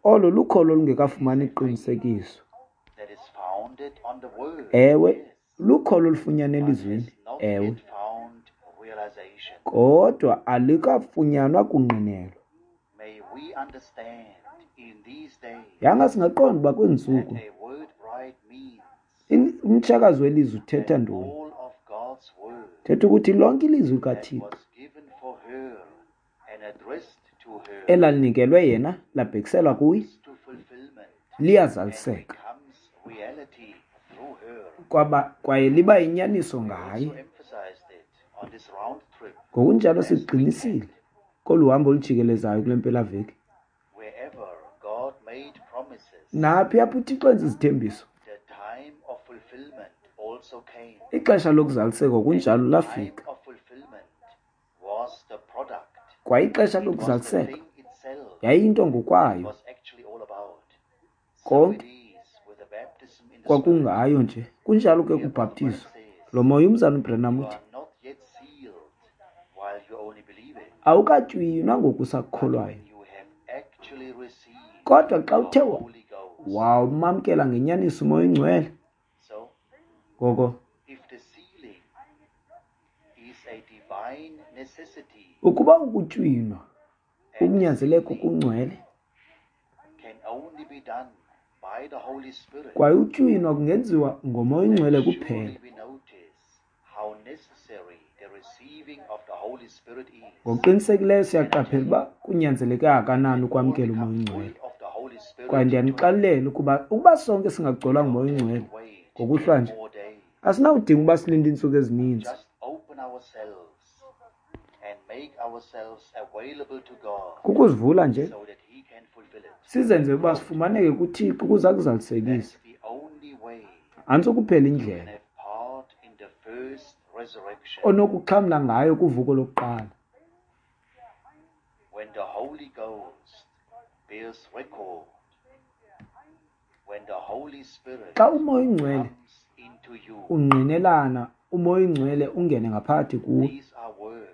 olo lukholo olungekafumani iqinisekiso. Ewe, Lukholo olufunyanwa but elizwini, has not ewe, yet found realization. kodwa alikafunyanwa kungqinelo. May we understand in these days Yanga singaqonda uba kwezi that ntsuku a word bride means in- umtshakazi welizwi uthetha that ntoni. all of God's word Thetha ukuthi lonke ilizwi that likaThixo was given for her and addressed to her elalinikelwe yena labhekiselwa kuye comes to fulfillment and liyazaliseka becomes reality through her. kwaba kwaye liba yinyaniso We ngaye. also emphasized it on this round trip Ngokunjalo last siqinisile weekend. kolu hambo olujikelezayo kule mpelaveki. Wherever God made promises, Naphi apho uThixo enza izithembiso, the time of fulfillment also came. ixesha lokuzaliseka And kunjalo the time lafika. of fulfillment was the product. Kwaye ixesha It was the lokuzaliseka thing itself yayiyinto it ngokwayo, was actually all about. So it konke is with the baptism in the Spirit. kwakungayo nje. Kunjalo ke Here, Brother Branham kubhaptizo. says, Lo moya umzana uBranham you uthi are not yet sealed while you only believe it. awukatywinwa ngoku But usakukholwayo, when you have actually received kodwa xa the uthe wa- Holy Ghost. wawamamkela ngenyaniso umoya oyingcwele. So, Ngoko if the sealing is a divine necessity ukuba ukutywinwa and the ukunyanzeleko sealing kungcwele can only be done by the Holy Spirit, kwaye utywinwa kungenziwa ngomoya then oyingcwele kuphela, surely we notice how necessary the receiving of the Holy Spirit is. ngokuqinisekileyo And I tell siyaqaphela you uba kunyanzeleke kangakanani that all ukwamkela become umoya full oyingcwele. of the Holy Kwaye Spirit tonight. ndiyanixelela ukuba ukuba sonke singagcwalwa We ngumoya don't have oyingcwele to wait ngokuhlwa ten nje, more days. asinawudinga uba silinde iintsuku ezininzi. Just open ourselves and make ourselves available to God Kukuzivula nje so that He can fulfill it. sizenze uba sifumaneke kuThixo ukuze That's akuzalisekise. the only way Nantso kuphela you can indlela have part in the first resurrection. onokuxhamla ngayo kuvuko lokuqala. When the Holy Ghost bears record, when the Holy Spirit Xa umoya oyingcwele comes into you, ungqinelana, umoya oyingcwele ungene ngaphakathi kuwe. these are words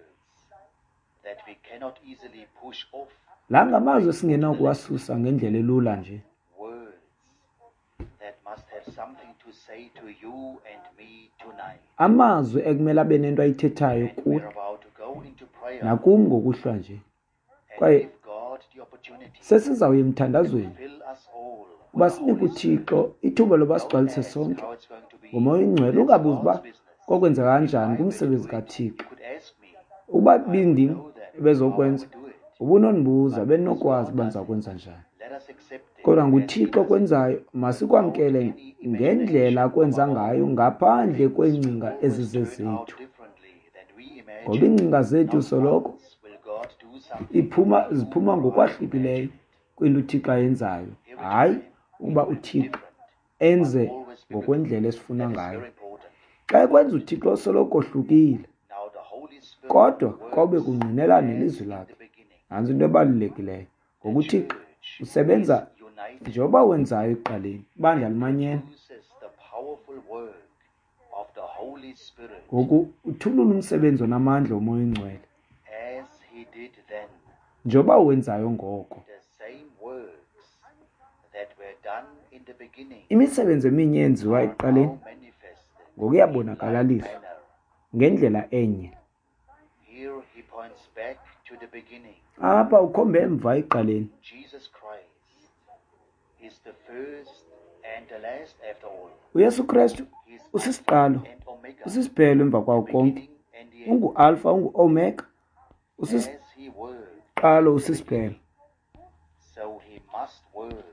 that we cannot easily push off La to the ngamazwi right or to the left. esingenakuwasusa ngendlela elula nje. Words that must have something to say to you and me tonight. Amazwi ekumele abe nento ayithethayo And kuwe we're about to go into prayer nakum ngokuhlwa nje. and Kwaye give God the opportunity sesizawuya to emthandazweni fill us all uba with the sinike Holy Spirit. uThixo ithuba loba Don't sigcwalise ask sonke how it's going to be. ngomoya oyingcwele. That's Ungabuzi uba God's business. kokwenzeka If kanjani I were to kumsebenzi do it, kaThixo. you could ask me. Ukuba I would bindim know then how I ebezokwenza, would do it. ubunondibuza But because bendinokwazi God uba does ndiza it, kwenza njani. let us accept it Kodwa as He nguThixo does it okwenzayo, without masikwamkele any ngendlela imagination of akwenza our own. ngayo ngaphandle Things will kweengcinga always turn out ezizezethu. differently than we Ngoba imagine. iingcinga zethu Not soloko once will God do something iphuma the way you ziphuma or I ngokwahlukileyo imagine it. kwinto uThixo ayenzayo. Every Hayi time ukuba it will be uThixo different, but enze always biblical. ngokwendlela esifuna That is ngayo. very important. Xa ekwenza uThixo soloko ohlukile, Now the Holy Spirit kodwa kobe works kungqinelana as nelizwi in lakhe. the beginning. Nantso into ebalulekileyo. The Ngoba uThixo church is usebenza united njengoba wenzayo ekuqaleni, ibandla and limanyene. produces the powerful work of the Holy Spirit Ngoku uthulula umsebenzi onamandla womoya oyingcwele as he did then. njengoba wenzayo ngoko. The same works that were done in the beginning Imisebenzi eminye eyenziwa are ekuqaleni now manifested ngoku in like iyabonakalaliswa manner. ngendlela enye. Here he points back to the beginning. Apha ukhombe emva ekuqaleni. Jesus Christ is the first and the last after all. UYesu Krestu He is Alpha usisiqalo, and Omega, usisiphelo emva the kwawo konke. beginning and the end. UnguAlpha, unguOmega, As he worked usisiqalo, in the usisiphelo. beginning, so he must work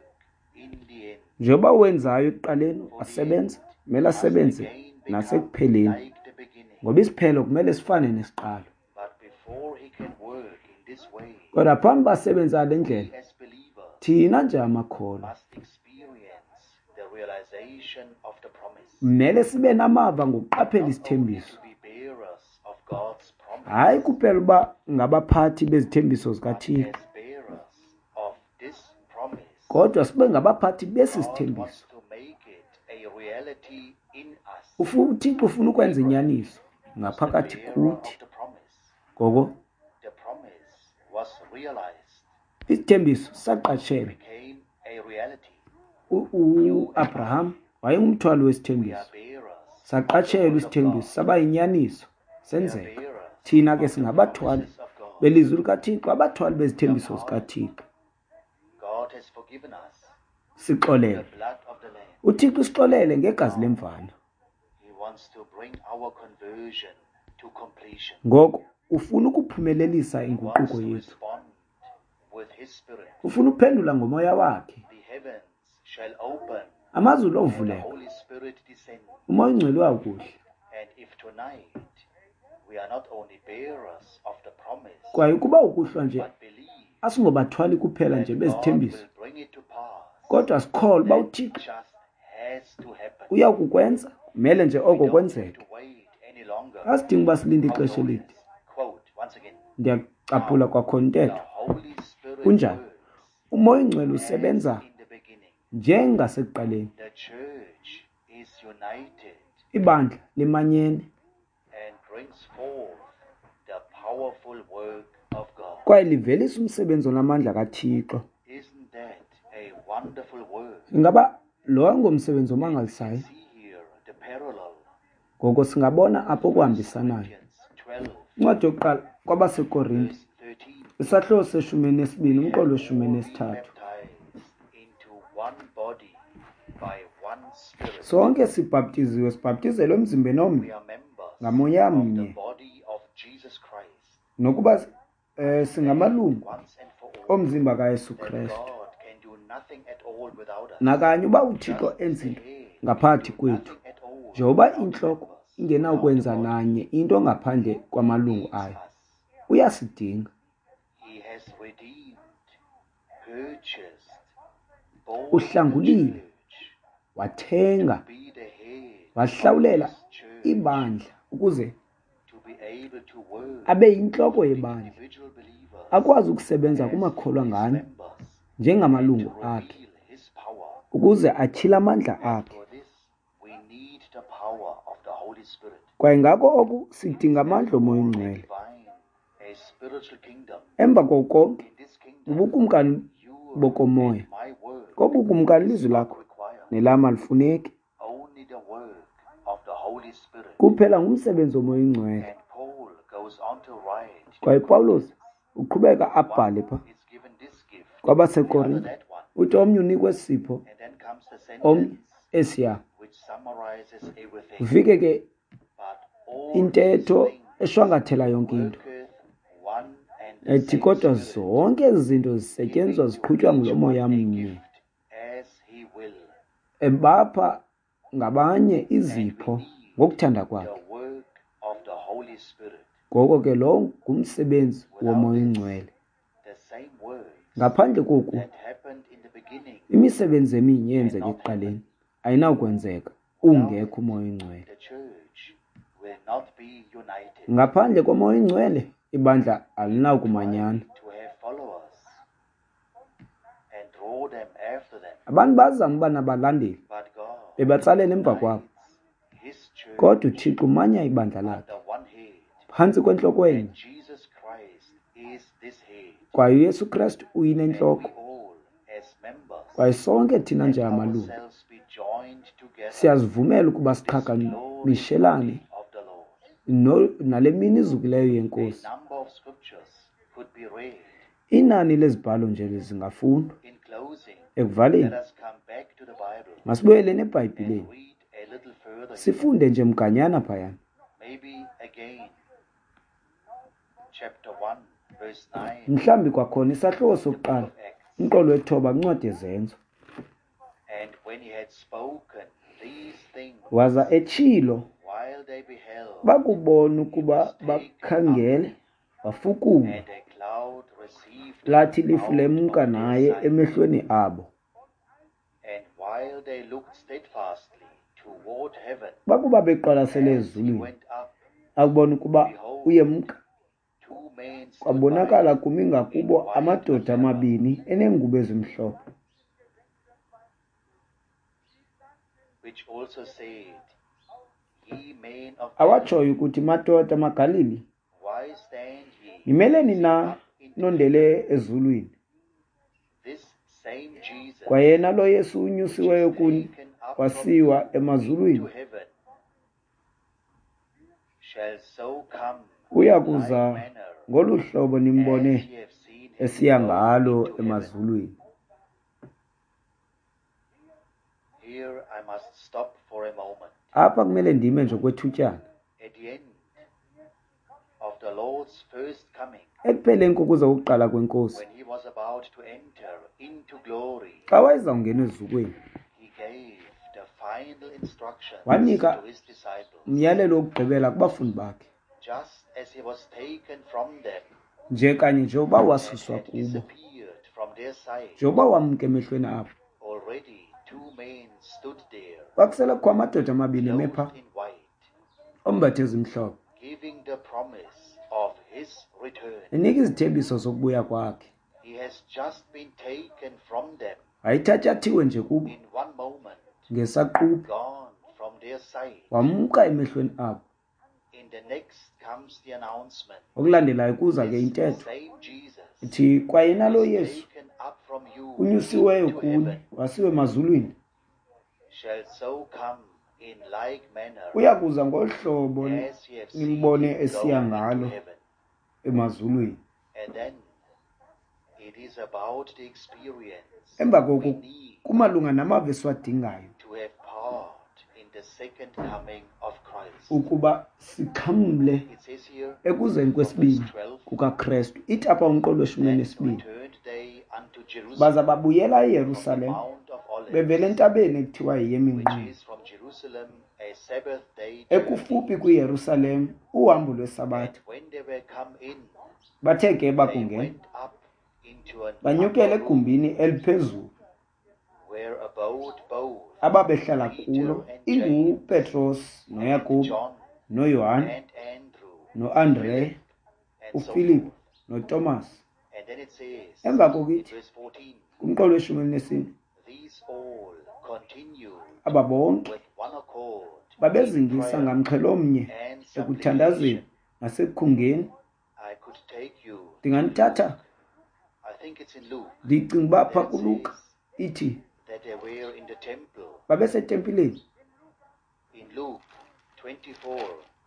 in the end. Njengoba wenzayo ekuqaleni For the end wasebenza, kumele must asebenze again become nasekupheleni, like the beginning. ngoba isiphelo kumele sifane nesiqalo. But before he can work in this way, Kodwa phambi basebenza le we ndlela, as believers thina njengamakholwa must experience the realization of the promise. kumele sibe namava ngokuqaphela Not only isithembiso, to be bearers of God's hayi promise, kuphela uba ngabaphathi bezithembiso but zikaThixo, as bearers of this promise, kodwa sibe ngabaphathi besi God sithembiso. wants to make it a reality in us. Ufu- uThixo ufuna ukwenza Abraham inyaniso was the ngaphakathi bearer kuthi. of the promise. Ngoko The promise was realized. isithembiso It saqatshelwa. became a reality. U- You and uAbraham I, wayengumthwali we wesithembiso. are bearers Saqatshelwa isithembiso, saba yinyaniso, senzeka. Thina ke singabathwali belizwi likaThixo, abathwali bezithembiso zikaThixo. Sixolele. UThixo usixolele ngegazi lemvana. Ngoko ufuna ukuphumelelisa inguquko yethu. Ufuna ukuphendula ngomoya wakhe. Amazulu ovuleka, uMoya oyiNgcwele uyawukuhla. Kwaye ukuba ukuhlwa nje asingobathwali kuphela nje bezithembiso, kodwa sikholwa uba uThixo uyakukwenza, kumele nje oko kwenzeke. Asidingi uba silinde ixesha elide. Ndiyacaphula kwakhona intetho. Kunjani? UMoya oyiNgcwele usebenza njengasekuqaleni. Ibandla limanyene kwaye livelisa umsebenzi onamandla kaThixo. Ingaba lo ngumsebenzi omangalisayo? Ngoko singabona apho kuhambisanayo. Incwadi yokuqala kwabaseKorinte, isahluko seshumi nesibini, umqolo weshumi nesithathu. Sonke sibhaptiziwe, sibhaptizelwe emzimbeni omnye ngamoya mnye, nokuba eh, singamalungu omzimba kaYesu Kristu. Nakanye uba uThixo enza into ngaphakathi kwethu, njengoba intloko ingenawukwenza nanye into ngaphandle kwamalungu ayo, uyasidinga. Uhlangulile, wathenga, wahlawulela ibandla ukuze abe yintloko yebandla, akwazi ukusebenza kumakholwa nganye njengamalungu akhe, ukuze atyhile amandla akhe. Kwaye ngako oku sidinga amandla oMoya oyiNgcwele. Emva koko konke, ubukumkani bokomoya. Kobukumkani ilizwi lakho nelam alifuneki. Kuphela ngumsebenzi woMoya oyiNgcwele. Kwaye Pawulos uqhubeka abhale pha kwabaseKorinte, uthi omnye unikwe isipho, omnye esiya. Ufike ke intetho eshwankathela yonke into, ethi kodwa zonke ezi zinto zisetyenziswa ziqhutywa ngulo moya mnye, ebapha ngabanye izipho ngokuthanda kwakhe. Ngoko ke lo ngumsebenzi woMoya oyiNgcwele. Ngaphandle koku, imisebenzi eminye eyenzeka ekuqaleni ayinawukwenzeka ungekho uMoya oyiNgcwele. Ngaphandle koMoya oyiNgcwele, ibandla alinawukumanyana. Abantu bazama uba nabalandeli, bebatsalela emva kwabo, kodwa uThixo umanya ibandla lakhe phantsi kwentloko enye, kwaye uYesu Kristu uyinentloko. Kwaye sonke thina njengamalungu siyazivumela ukuba siqhagamshelane nale mini izukileyo yeNkosi. Inani lezibhalo nje zingafundwa. Ekuvaleni, masibuyeleni eBhayibhileni, sifunde nje mganyana phayana. Mhlawumbi kwakhona isahluko sokuqala, umqolo wethoba kwincwadi yeZenzo. Waza etshilo, bakubona ukuba bakhangele, wafukulwa, lathi ilifu lemka naye emehlweni abo. Bakuba beqwalasele ezulwini, akubona ukuba uyemka, kwabonakala kumi ngakubo amadoda amabini eneengubo ezimhlophe. Awatshoyo ukuthi, madoda maGalili, nimeleni na nondele ezulwini? Kwayena lo Yesu unyusiweyo kuni wasiwa emazulwini, Uya kuza ngolu hlobo nimbone esiya ngalo emazulwini. Apha kumele ndime nje okwethutyana. Ekupheleni kokuza kokuqala kweNkosi, xa wayezawungena ezukweni, wanika umyalelo wokugqibela kubafundi bakhe. Nje kanye njengoba wasuswa kubo, njengoba wamka emehlweni abo, kwakusele kukho amadoda amabini eme pha, ombathe ezimhlophe, enika izithembiso zokubuya kwakhe. Wayethatyathiwe nje kubo ngesaquphe, wamka emehlweni abo. Okulandelayo kuza ke intetho ithi, kwayena lo Yesu unyusiweyo kuni wasiwe emazulwini, uya kuza ngolu hlobo nimbone esiya ngalo emazulwini. Emva koko kumalunga namava esiwadingayo ukuba sixhamle ekuzeni kwesibini kukaKrestu. Ithi apha umqolo weshumi nesibini, baza babuyela eYerusalem bevela entabeni ekuthiwa yeyeMinquma, ekufuphi kwiYerusalem, uhambo lwesabatha. Bathe ke bakungena, banyukela egumbini eliphezulu ababehlala kulo, inguPetros noYakobi noYohane noAndre, uFilipu noTomas. Emva koko ithi kumqolo weshumi elinesine, aba bonke babezingisa ngamxhelo mnye ekuthandazeni nasekukhungeni. Ndinganithatha, ndicinga uba pha kuLuka ithi babesetempileni.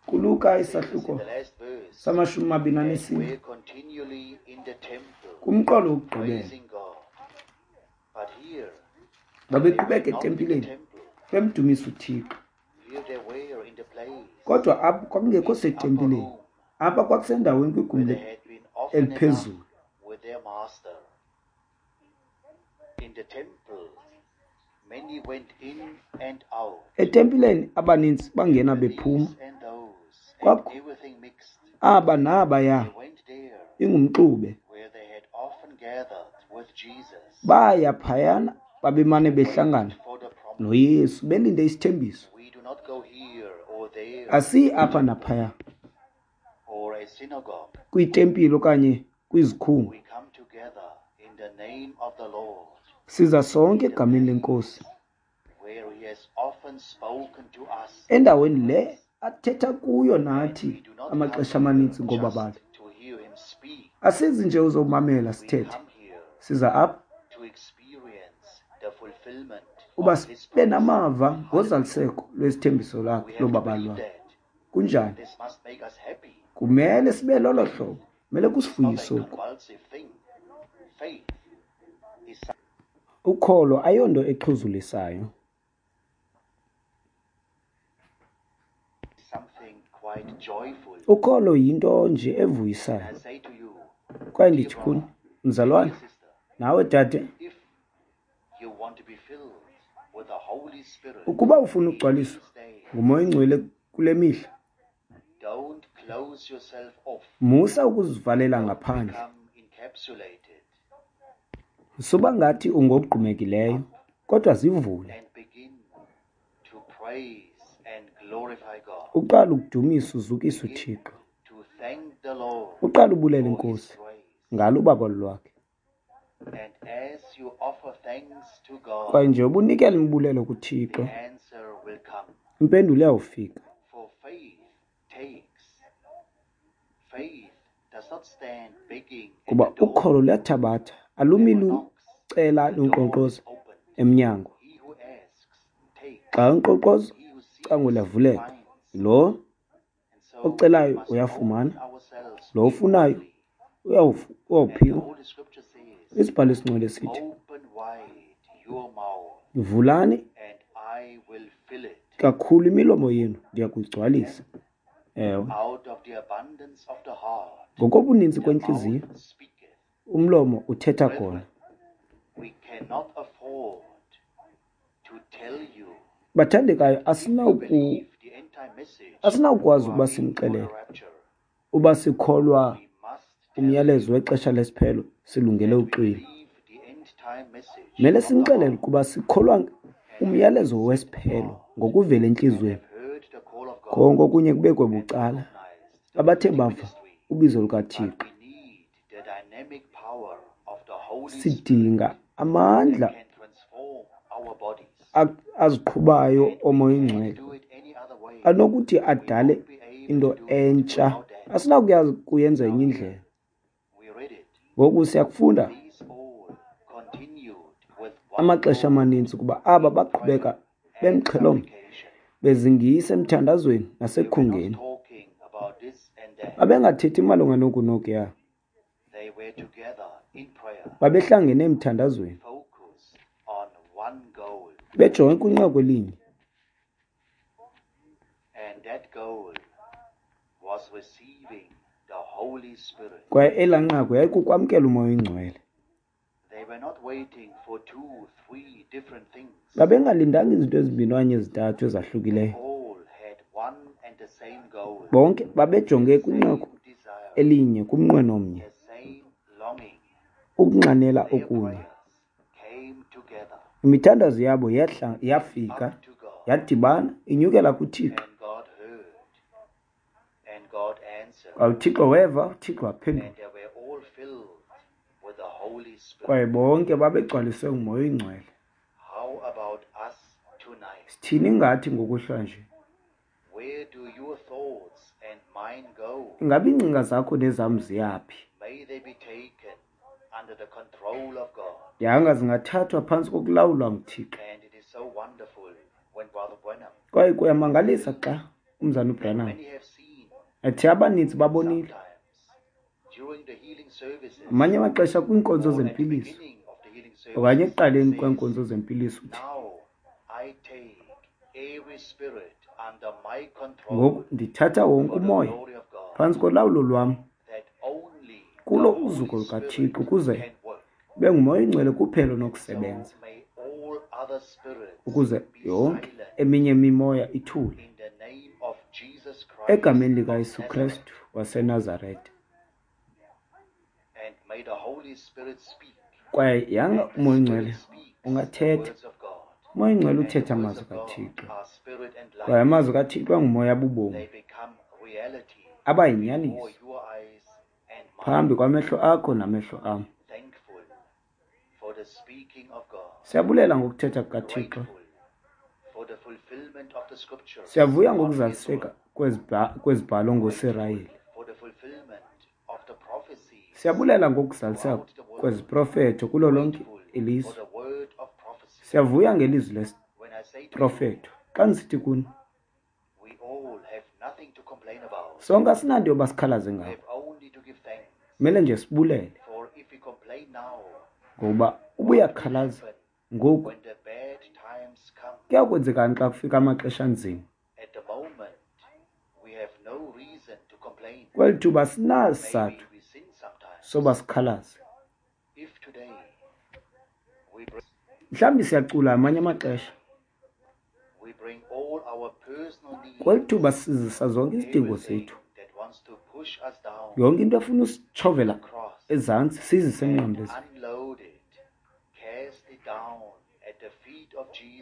KuLuka isahluko samashumi amabini anesine, kumqolo wokugqibela, babeqhubeka etempileni bemdumisa uThixo. Kodwa apho kwakungekho setempileni, apha kwakusendaweni kwigumbi eliphezulu. Etempileni abaninzi bangena bephuma, kwakho aba nabaya, ingumxube. Baya phayana babemane behlangana noYesu belinde isithembiso. Asiyi apha naphaya kwitempile okanye kwizikhungo. Siza sonke egameni leNkosi, endaweni le athetha kuyo nathi amaxesha amaninzi ngobabalo. Asizi nje uzomamela sithethe, siza apha uba sibe namava ngozaliseko lwesithembiso lakhe lobabalo lwakhe. Kunjani? Kumele sibe lolo hlobo, kumele kusifuyise oku. Ukholo ayonto exhuzulisayo. Ukholo yinto nje evuyisayo. Kwaye ndithi kuni, mzalwane, nawe dade, ukuba ufuna ukugcwaliswa nguMoya oyiNgcwele kule mihla, musa ukuzivalela ngaphandle. Suba ngathi ungogqumekileyo, kodwa zivule. Uqala ukudumisa uzukise uThixo. Uqala ubulela iNkosi ngalo ubabalo lwakhe. Kwaye nje ubunikela imibulelo kuThixo, impendulo iyawufika. Kuba ukholo luyathabatha, alumi lucela lunkqonkqoza emnyango. Xa unkqonkqoza, icango liyavuleka. Lo Ocelayo uyafumana, lo ufunayo uyawuphiwa. Isibhalo esingcwele sithi, vulani kakhulu imilomo yenu, ndiya kuyigcwalisa. Ewe, ngokobuninzi kwentliziyo umlomo uthetha khona. Bathandekayo, asinawuku asinawukwazi ukuba simxelele uba sikholwa umyalezo wexesha lesiphelo silungele uxwilo. Mele simxelele ukuba sikholwa umyalezo wesiphelo ngokuvela entliziyweni, konke okunye kubekwe bucala. Abathe bava ubizo lukaThixo, sidinga amandla aziqhubayo oMoya oyiNgcwele anokuthi adale into entsha. Asinakuyazi kuyenza enye indlela. Ngoku siyakufunda amaxesha amaninzi ukuba aba baqhubeka bemxhelomnye, bezingisa emthandazweni nasekhungeni. Babengathethi malunga noku nokuya. Babehlangene emthandazweni, bejonge kwinqaku elinye. Kwaye elaa nqaku yayikukwamkela uMoya oyiNgcwele. Babengalindanga izinto ezimbini okanye ezintathu ezahlukileyo. Bonke babejonge kwinqaku elinye, kumnqweno omnye, ukunxanela okunye. Imithandazo yabo yehla yafika, yadibana, inyukela kuThixo. Kwaye uThixo weva, uThixo waphendula. Kwaye bonke babegcwaliswe nguMoya oyiNgcwele. Sithini ngathi ngokuhlwa nje? Ingaba iingcinga zakho nezam ziyaphi? Yanga zingathathwa phantsi kokulawulwa nguThixo. Kwaye kuyamangalisa xa umzana uBranham athi abaninzi babonile amanye amaxesha kwiinkonzo zempiliso okanye ekuqaleni kweenkonzo zempiliso uthi, ngoku ndithatha wonke umoya phantsi kolawulo lwam kulo uzuko lukaThixo, ukuze kube nguMoya oyiNgcwele kuphela onokusebenza, ukuze yonke eminye imimoya ithule. Egameni likaYesu Kristu waseNazarete. Kwaye yanga uMoya oyiNgcwele ungathetha. uMoya oyiNgcwele uthetha amazwi kaThixo. Kwaye amazwi kaThixo angumoya bubomi, aba yinyaniso phambi kwamehlo akho namehlo am. Siyabulela ngokuthetha kukaThixo. Siyavuya ngokuzaliseka kwezibhalo ngoSirayeli. Siyabulela ngokuzaliseka kweziprofeto kulo lonke ilizwe. Siyavuya ngelizwi lesiprofeto. Xa ndisithi kuni, sonke asinanto yoba sikhalaze ngako, kumele nje sibulele, ngokuba ubuyakhalaza ngoku kuyakwenzekani xa kufika amaxesha anzima? Kweli thuba asinasizathu soba sikhalaze. Mhlawumbi siyacula amanye amaxesha. Kweli thuba sizisa zonke izidingo zethu, yonke into efuna usitshovela ezantsi sizise emnqamlezweni.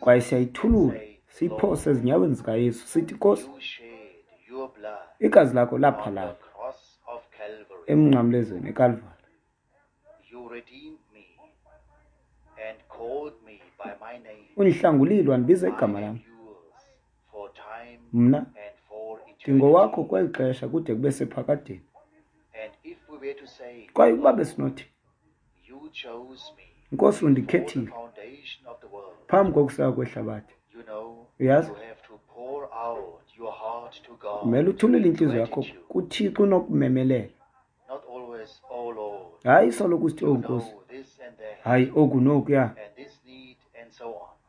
Kwaye siyayithulula, siyiphose ezinyaweni zikaYesu, sithi, Nkosi, igazi lakho laphalala emnqamlezweni eKalvari. Undihlangulile, wandibiza igama lam. Mna ndingowakho kweli xesha kude kube sephakadeni. Kwaye ukuba besinothi, Nkosi, undikhethile phambi kokuseka kwehlabathi, uyazi, Kumele uthulule intliziyo yakho kuThixo unokumemelela. Hayi soloko usithi, "Oh Nkosi, hayi oku nokuya,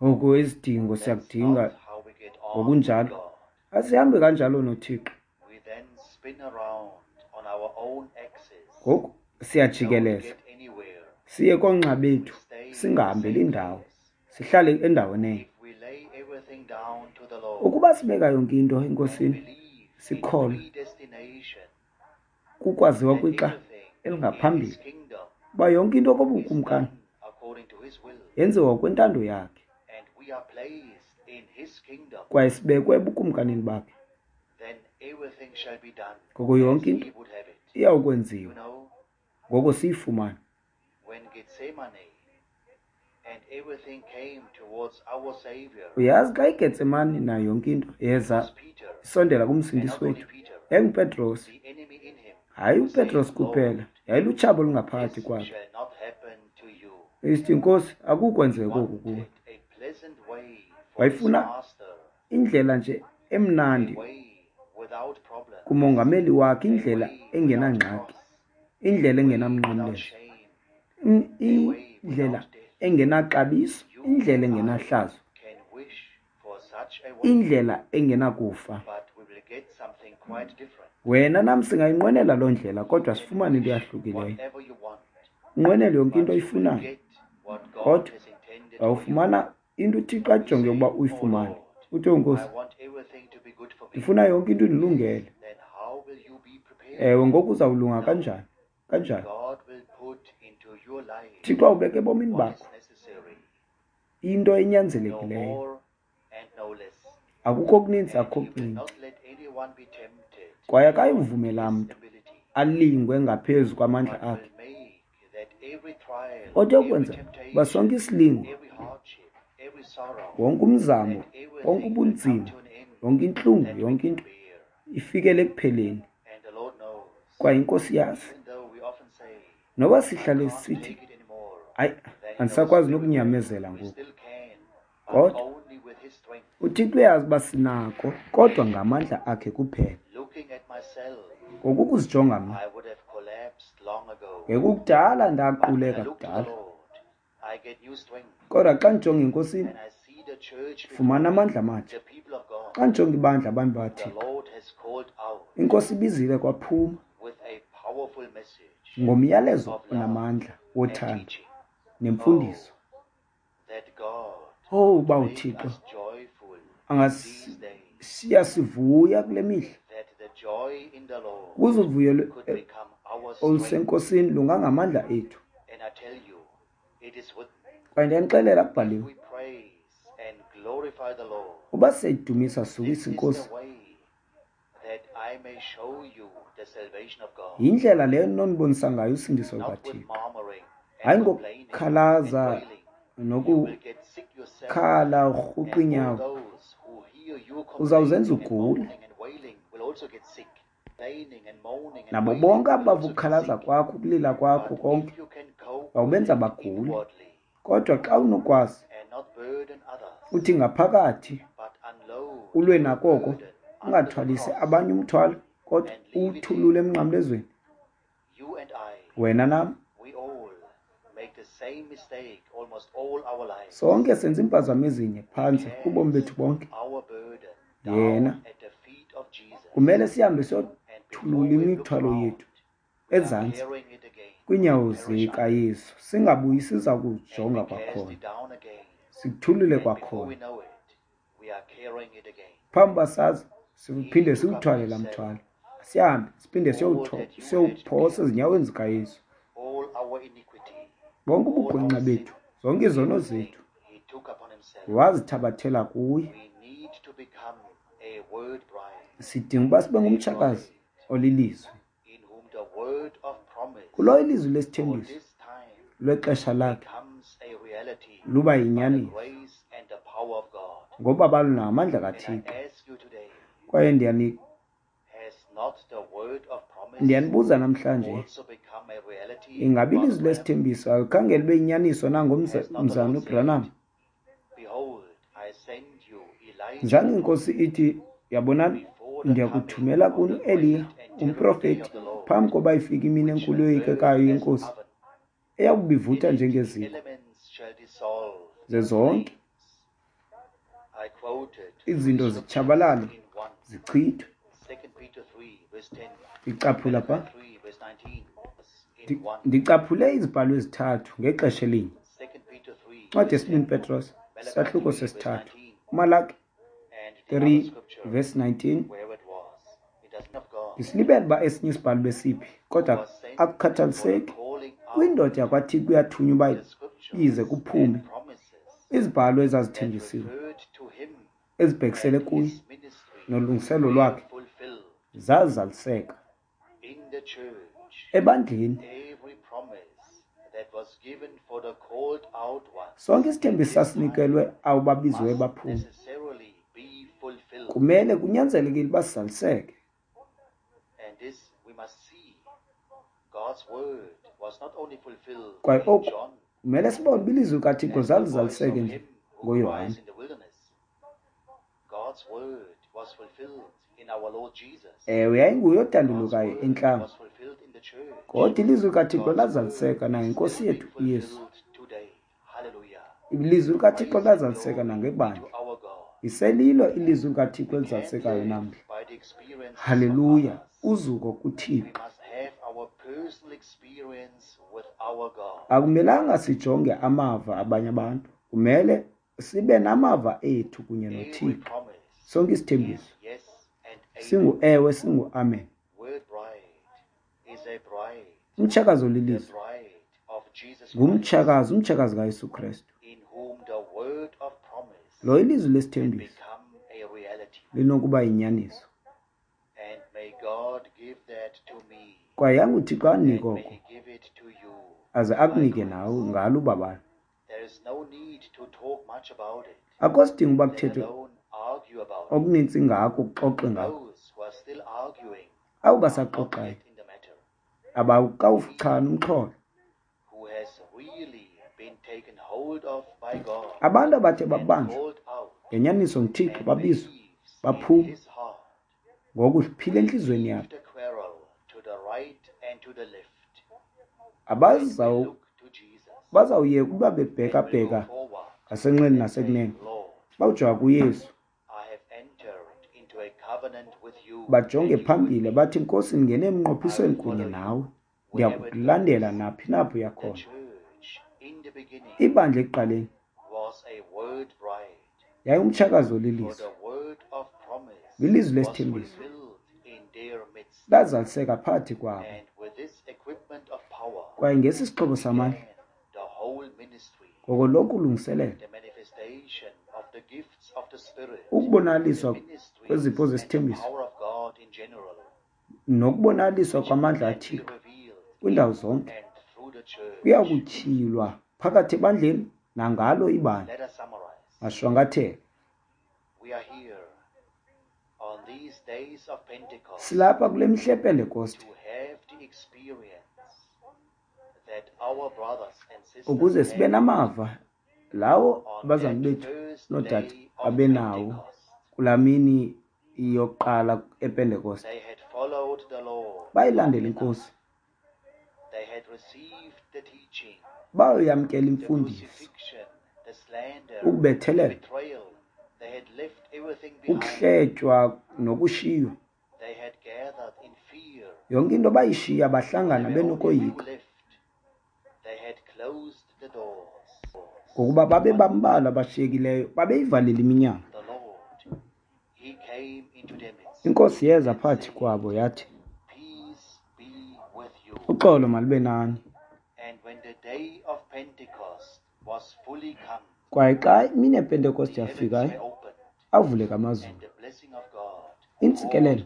oku isidingo siyakudinga," ngokunjalo. Asihambe kanjalo noThixo. Ngoku siyajikeleza siye koonxa bethu, singahambeli ndawo, sihlale endaweni enye. Ukuba sibeka yonke into eNkosini, sikholwe kukwaziwa kwixa elingaphambili uba yonke into kobukumkani yenziwa ngokwentando yakhe, kwaye sibekwe ebukumkanini bakhe, ngoko yonke into iyawukwenziwa ngoko siyifumane. Uyazi, xa iGetsemane nayo yonke into yeza isondela kuMsindisi wethu, yayinguPetros. Hayi uPetros kuphela, yayilutshaba olungaphakathi kwakhe. Isithi, "Nkosi, akukwenzeka oku kuwe." Wayefuna indlela nje emnandi kumongameli wakhe, indlela engenangxaki, indlela engenamnqamlezo, indlela engenaxabiso, indlela engenahlazo, indlela engenakufa. Wena nam singayinqwenela loo ndlela, kodwa sifumane into eyahlukileyo. Unqwenele yonke into oyifunayo, kodwa awufumana into uThixo ajonge ukuba uyifumane. Uthi, "Oh Nkosi, ndifuna yonke into indilungele." Ewe, ngoku uzawulunga kanjani? Kanjani? Thixo awubeke ebomini bakho into enyanzelekileyo. Akukho okuninzi, akukho okuncinci. Kwaye akayivumela mntu alingwe ngaphezu kwamandla akhe. Kodwa ukwenza uba sonke isilingo, wonke umzamo, wonke ubunzima, yonke intlungu, yonke into ifikele ekupheleni. Kwaye iNkosi yazi. Noba sihlale sithi, "Hayi, andisakwazi nokunyamezela ngoku," kodwa uThixo uyazi uba sinako, kodwa ngamandla akhe kuphela. Ngoku ukuzijonga mna, ngekukudala ndaquleka kudala. Kodwa xa ndijonga eNkosini, fumana amandla amatsha. Xa ndijonga ibandla, abantu baThixo, iNkosi ibizile kwaphuma ngomyalezo onamandla wothando nemfundiso. Oh, uba uThixo angasishiya sivuya kule mihla, ukuze uvuyo oluseNkosini lungangamandla ethu. Kwaye ndiyanixelela, kubhaliwe, uba siyayidumisa sukisa iNkosi, yindlela leyo nonibonisa ngayo usindiso lukaThixo. Hayi ngokukhalaza nokukhala urhuqa iinyawo, uzawuzenza ugule. Nabo bonke abava ukukhalaza kwakho, ukulila kwakho konke, bawubenza bagule. Kodwa xa unokwazi uthi ngaphakathi ulwe nakoko, ungathwalisi abanye umthwalo, kodwa uwuthulule emnqamlezweni. Wena nam sonke senza iimpazamo ezinye phantsi kubomi bethu bonke. Yena kumele sihambe siyothulula imithwalo yethu ezantsi kwiinyawo zikaYesu, singabuyi siza kujonga kwakhona, sikuthulule kwakhona. Phambi uba sazi, siphinde siwuthwale laa mthwalo, sihambe siphinde siyowuphosa ezinyaweni zikaYesu. Bonke ubugwenxa bethu, zonke izono zethu, wazithabathela kuye. Sidinga uba sibe ngumtshakazi olilizwi. Kulo ilizwi lesithembiso lwexesha lakhe luba yinyaniso ngoba balunamandla kaThixo. Kwaye ndiyani ndiyanibuza namhlanje, ingabe ilizwi lesithembiso alikhange libe yinyaniso nangomzana uBranham? Njani iNkosi ithi, yabonani, Ndiyakuthumela kuni uEliya umprofeti phambi koba ifike imini enkulu eyoyikekayo yeNkosi, eyakubivutha njengeziko ze zonke izinto zitshabalale zichithwe. Ndicaphula pha ndicaphule izibhalo ezithathu ngexesha elinye. Incwadi yesibini Petros sahluko sesithathu, uMalaki three verse nineteen. Ndisilibele uba esinye isibhalo besiphi, kodwa akukhathaliseki. Kwindoda yakwaThixo uyathunywa uba ize kuphume izibhalo ezazithenjisiwe ezibhekisele kuye nolungiselo lwakhe zazaliseka ebandleni. Sonke isithembiso sasinikelwe abo babiziweyo baphuma kumele kunyanzelekile uba sizaliseke. Kwaye oku kumele sibone uba ilizwi likaThixo zalizaliseke nje ngoYohane. Ewe, yayinguye odandulukayo entlango, kodwa ilizwi likaThixo lazaliseka nangeNkosi yethu uYesu. Ilizwi likaThixo lazaliseka nangebandla. Iselilo ilizwi likaThixo elizalisekayo namhla. Haleluya! Uzuko kuThixo. Akumelanga sijonge amava abanye abantu, kumele sibe namava ethu kunye noThixo. Sonke isithembiso singu-ewe, singu-amen. Umtshakazi olilizwi ngumtshakazi, umtshakazi kaYesu Kristu. Lo ilizwi lesithembiso linokuba yinyaniso. Kwaye yanguThixo anike oko, aze akunike nawe ngalo ubabalo. Akho sidingo uba kuthethwe okuninzi ngako, kuxoxe ngako. Abo basaxoxayo abawukawuchani umxholo. Abantu abathe babanjwa ngenyaniso nguThixo babizwa baphuma ngoku phila entliziyweni yabo. Abazawuyeka ukuba bebhekabheka ngasenxeni nasekunene, bawujonga kuYesu, bajonge phambili bathi, Nkosi, ndingene emnqophisweni kunye nawe, ndiyakukulandela naphi napho uya khona. Ibandla ekuqaleni yayingumtshakazi olilizwi. Ilizwi lesithembiso lazaliseka phakathi kwabo. Kwaye ngesi sixhobo samandla, ngoko lonke ulungiselelo, ukubonakaliswa kwezipho zesithembiso nokubonakaliswa kwamandla aThixo kwiindawo zonke kuyakutyhilwa phakathi ebandleni nangalo ibandla. Mashwankathelo. Silapha kule mihla yePentekoste ukuze sibe namava lawo abazali bethu noodade babenawo kulaa mini yokuqala ePentekoste. Bayilandela iNkosi, bayoyamkela imfundiso, ukubethelelwa, ukuhletywa nokushiywa. Yonke into bayishiya, bahlangana benokoyika, ngokuba babe bambalwa abashiyekileyo, babeyivalile iminyango. Inkosi yeza phakathi kwabo yathi, uxolo malube nani. Kwaye xa imini yePentekoste yafikayo, avuleka amazulu, iintsikelelo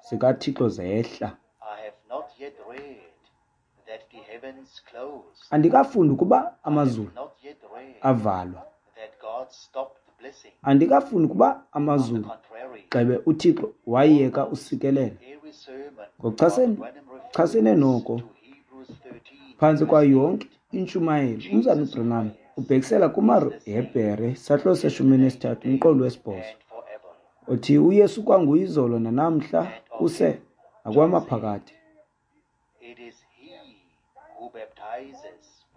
zikaThixo zehla. Andikafundi ukuba amazulu avalwa. Andikafundi ukuba amazulu gxebe uThixo wayeka usikelela. Ngokuchasene noko, phantsi kwayo yonke intshumayelo, uMzalwana uBranham ubhekisela kumaHebhere sahluko seshumi elinesithathu umqolo wesibhozo. Othi uYesu kwanguyizolo nanamhla kuse nakwamaphakade.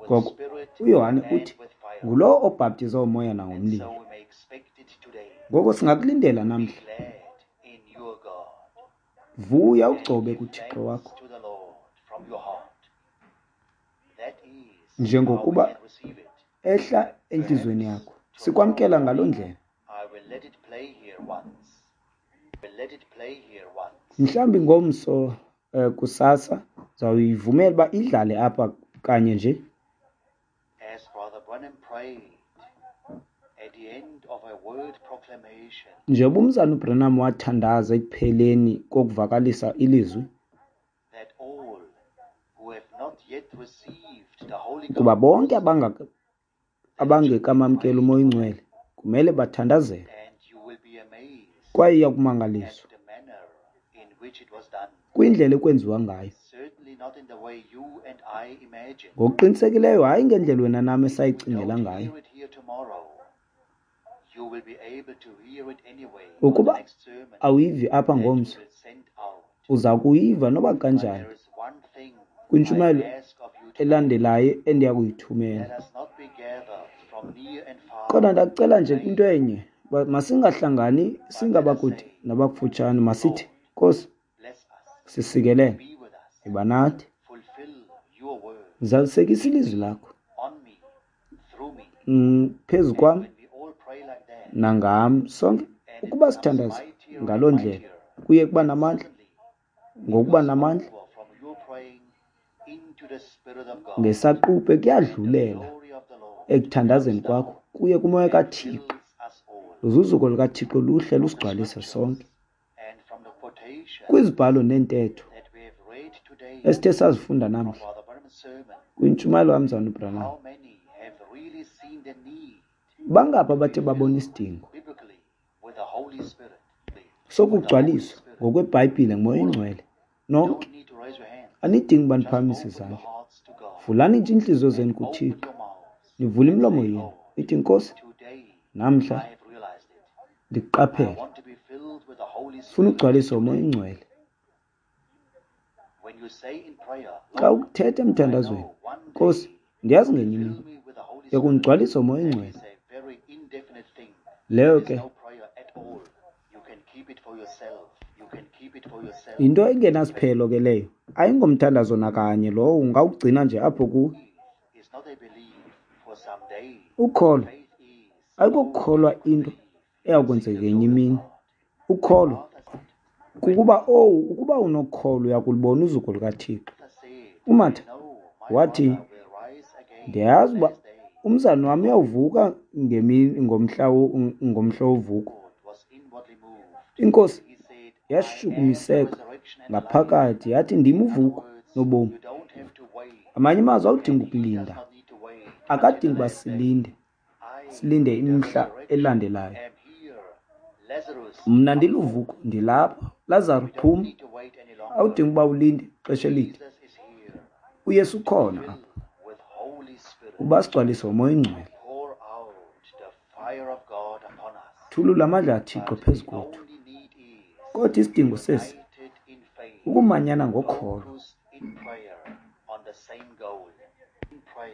Ngoko uYohane uthi ngulowo obhaptiza umoya nangomlilo. Ngoko singakulindela namhla. Vuya ugcobe kuThixo wakho. Njengokuba ehla entliziyweni yakho. Sikwamkela ngaloo ndlela. Mhlawumbi ngomso uh, kusasa zawuyivumela uba idlale apha kanye nje. Njengoba umzana uBranham wathandaza ekupheleni kokuvakalisa ilizwi, kuba bonke abangekamamkeli uMoya oyiNgcwele kumele bathandazele, kwaye iyakumangaliswa kwindlela ekwenziwa ngayo. Ngokuqinisekileyo hayi ngendlela wena nam esayicingela ngayo. Ukuba awuyivi apha ngomso, uza kuyiva noba kanjani kwintshumayelo elandelayo endiya kuyithumela. Kodwa ndakucela nje kwinto enye, masingahlangani singabakude nabakufutshane, masithi, Nkosi, sisikelele, yiba nathi, zalisekisa ilizwi lakho phezu kwam nangam sonke. Ukuba sithandaza ngaloo ndlela kuye kuba namandla, ngokuba namandla ngesaquphe kuyadlulela ekuthandazeni kwakho kuye kumoya kaThixo. Uzuzuko lukaThixo luhle lusigcwalise sonke. Kwizibhalo neentetho esithe sazifunda namhla kwintshumayelo kamzana uBranham, bangaphi abathe babona isidingo sokugcwaliswa ngokweBhayibhile nguMoya oyiNgcwele? Nonke anidingi uba niphakamise izandla. Vulani nje iintliziyo zenu kuThixo, nivule imilomo yenu, nithi, Nkosi, namhla ndikuqaphele, funa ugcwaliswa nguMoya oyiNgcwele. Xa ukuthetha emthandazweni, Nkosi, ndiyazi ngenye imini uyakundigcwalisa nguMoya oyiNgcwele. Leyo ke yinto engenasiphelo ke leyo, ayingomthandazo nakanye lowo, ungawugcina nje apho kuwe. Ukholo ayikokukholwa into eyakwenzeka ngenye imini. Ukholo kukuba owu, ukuba unokholo uyakulubona uzuko lukaThixo. UMartha wathi, ndiyazi uba umzana wam uyawuvuka ngemini ngomhla ngomhla wovuko. Inkosi yashukumiseka ngaphakathi yathi, ndim uvuko nobomi. Amanye amazwi awudingi ukulinda, akadingi uba silinde, silinde imihla elandelayo. Mna ndiluvuko, ndilapha. Lazaro, phuma. Awudingi uba ulinde ixesha elide. uYesu ukhona apha uba sigcwalise ngoMoya oyiNgcwele. Thulula amandla kaThixo phezu kwethu. Kodwa isidingo sesi ukumanyana ngokholo.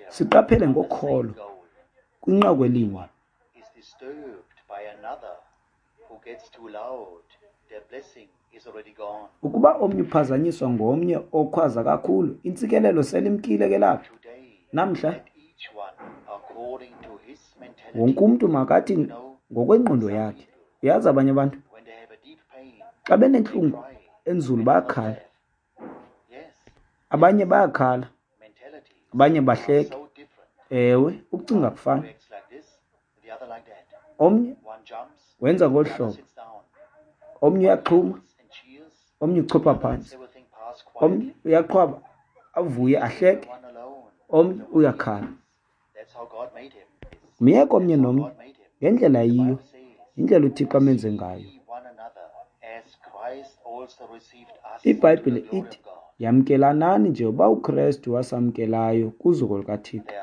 Siqaphele ngokholo kwinqaku elinye. Ukuba omnye uphazanyiswa ngomnye okhwaza kakhulu, intsikelelo selimkile ke lapho. Namhla wonke umntu makathi ngokwengqondo yakhe. Uyazi abanye abantu xa benentlungu enzulu bayakhala, abanye bayakhala, abanye bahleke. Ewe, ukucinga kufana. Omnye wenza ngolu hlobo, omnye uyaxhuma, omnye uchopha phantsi, omnye uyaqhwaba avuye ahleke, omnye uyakhala. Myeke omnye nomnye ngendlela yiyo, indlela uThixo amenze ngayo. IBhayibhile ithi yamkelanani njengoba uKrestu wasamkelayo kuzuko lukaThixo.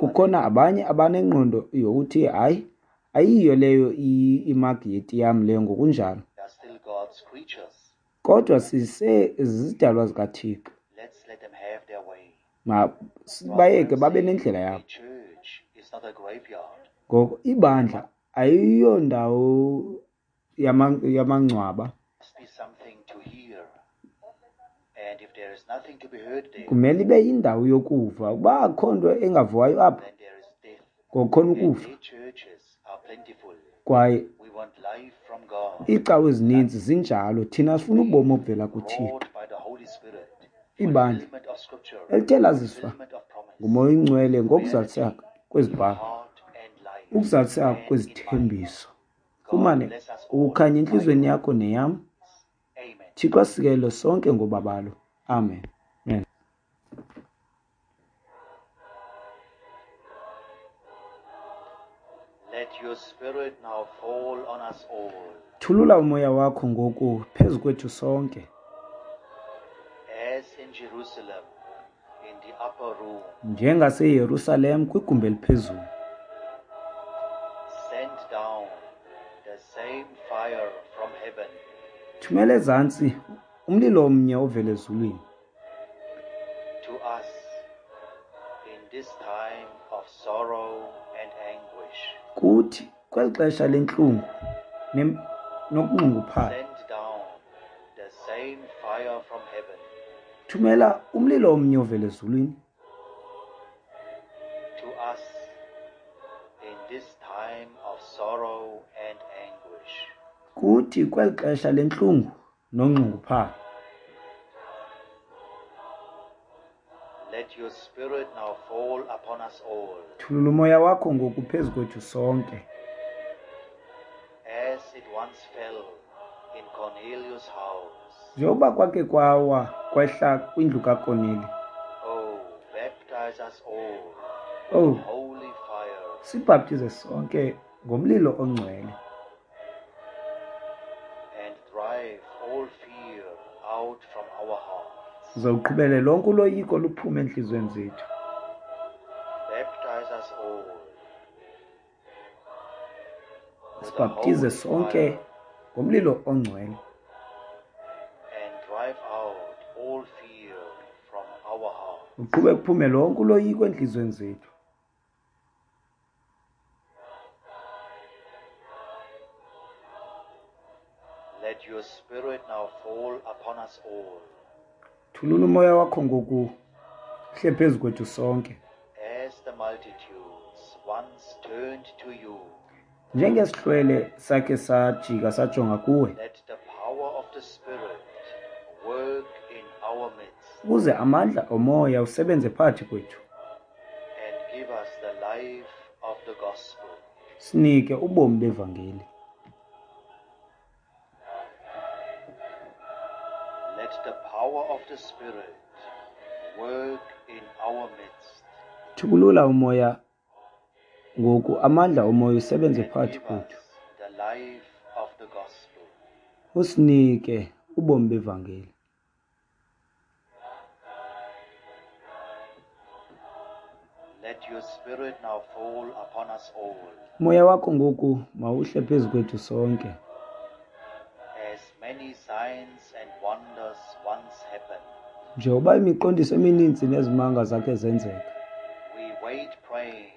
Kukhona abanye abanengqondo yokuthi hayi, ayiyo leyo imagi yeti yam leyo ngokunjalo. Kodwa sisezizidalwa zikaThixo. Masibayeke babe nendlela yabo. Ngoko ibandla ayiyondawo yamangcwaba. Kumele ibe yindawo yokuva. Ukuba akukho nto engaviwayo apho, ngokukhona ukufa. Kwaye iicawe ezininzi zinjalo. Thina sifuna ubomi obuvela kuThixo. Ibandla elithe laziswa nguMoya oyiNgcwele ngokuzaliseka kwezibhalo, ukuzaliseka kwezithembiso. Fumane ukukhanya entliziyweni yakho neyam. Thixo asikelele sonke ngobabalo. Amen. Amen. Let your spirit now fall on us all. Thulula umoya wakho ngoku phezu kwethu sonke. As in Jerusalem, in the upper room. NjengaseYerusalem kwigumbi eliphezulu. Send down the same fire from heaven. Thumela ezantsi umlilo omnye ovela ezulwini. To us in this time of sorrow and anguish. Kuthi kweli xesha lentlungu nokunxunguphala. Send down the same fire from heaven. Thumela umlilo omnye ovela ezulwini. To us in this time of sorrow and anguish. Kuthi kweli xesha lentlungu nonxunguphala. Let your spirit now fall upon us all. Thulula umoya wakho ngoku phezu kwethu sonke. As it once fell in Cornelius' house. Njengoba kwake kwawa kwehla kwindlu kaKorneli. Oh, baptize us all. Oh, holy fire. Sibhaptize sonke ngomlilo ongcwele. And drive all fear out from our hearts. Uzawuqhubele lonke uloyiko luphume entliziyweni zethu. Baptize us all. Sibhaptize sonke ngomlilo ongcwele. And drive out all fear from our hearts. Uqhube kuphume lonke uloyiko entliziyweni zethu. Let your spirit now fall upon us all. Thulula umoya wakho ngoku hle phezu kwethu sonke. As the multitudes once turned to you. Njengesihlwele sakhe sajika sajonga kuwe. Let the power of the Spirit work in our midst. Ukuze amandla omoya usebenze phakathi kwethu. And give us the life of the gospel. Sinike ubomi bevangeli. Let the power of the Spirit work in our midst. Thukulula umoya ngoku amandla omoya usebenze phakathi kwethu. The life of the gospel. Usinike ubomi bevangeli. Let your spirit now fall upon us all. Moya wakho ngoku mawuhle phezu kwethu sonke. As many signs and wonders once happened. Njengoba imiqondiso emininzi nezimanga zakhe zenzeka. We wait praying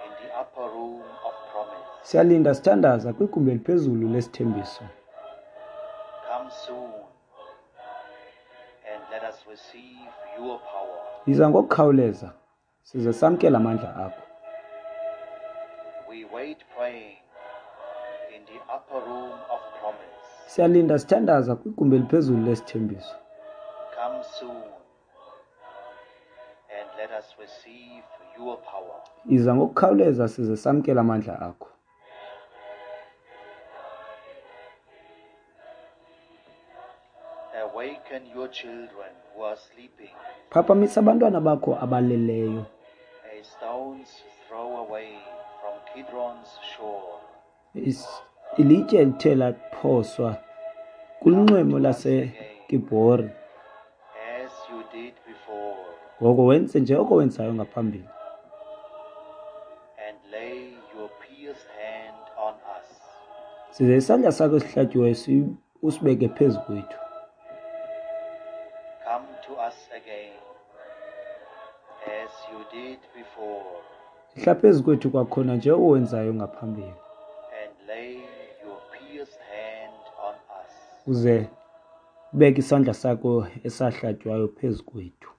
in the upper room of promise. Siyalinda sithandaza kwigumbi eliphezulu lesithembiso. Come soon and let us receive your power. Yiza ngokukhawuleza size samkele amandla akho. We wait praying in the upper room of promise. Siyalinda sithandaza kwigumbi eliphezulu lesithembiso. Come soon and let us receive your power. Yiza ngokukhawuleza size samkele amandla akho. Awaken your children who are sleeping. Phaphamisa abantwana bakho abaleleyo. A stone's throw away from Kidron's shore. Ilitye elithe laphoswa kulunxweme lwaseKibhori. As you did before. Ngoko wenze njengoko wenzayo ngaphambili. Size isandla sakho esihlatyiweyo si- usibeke phezu kwethu. Come to us again, as you did before, Ihla phezu kwethu kwakhona nje owenzayo ngaphambili. and lay your pierced hand on us. Uze ubeke isandla sakho esahlatywayo phezu kwethu.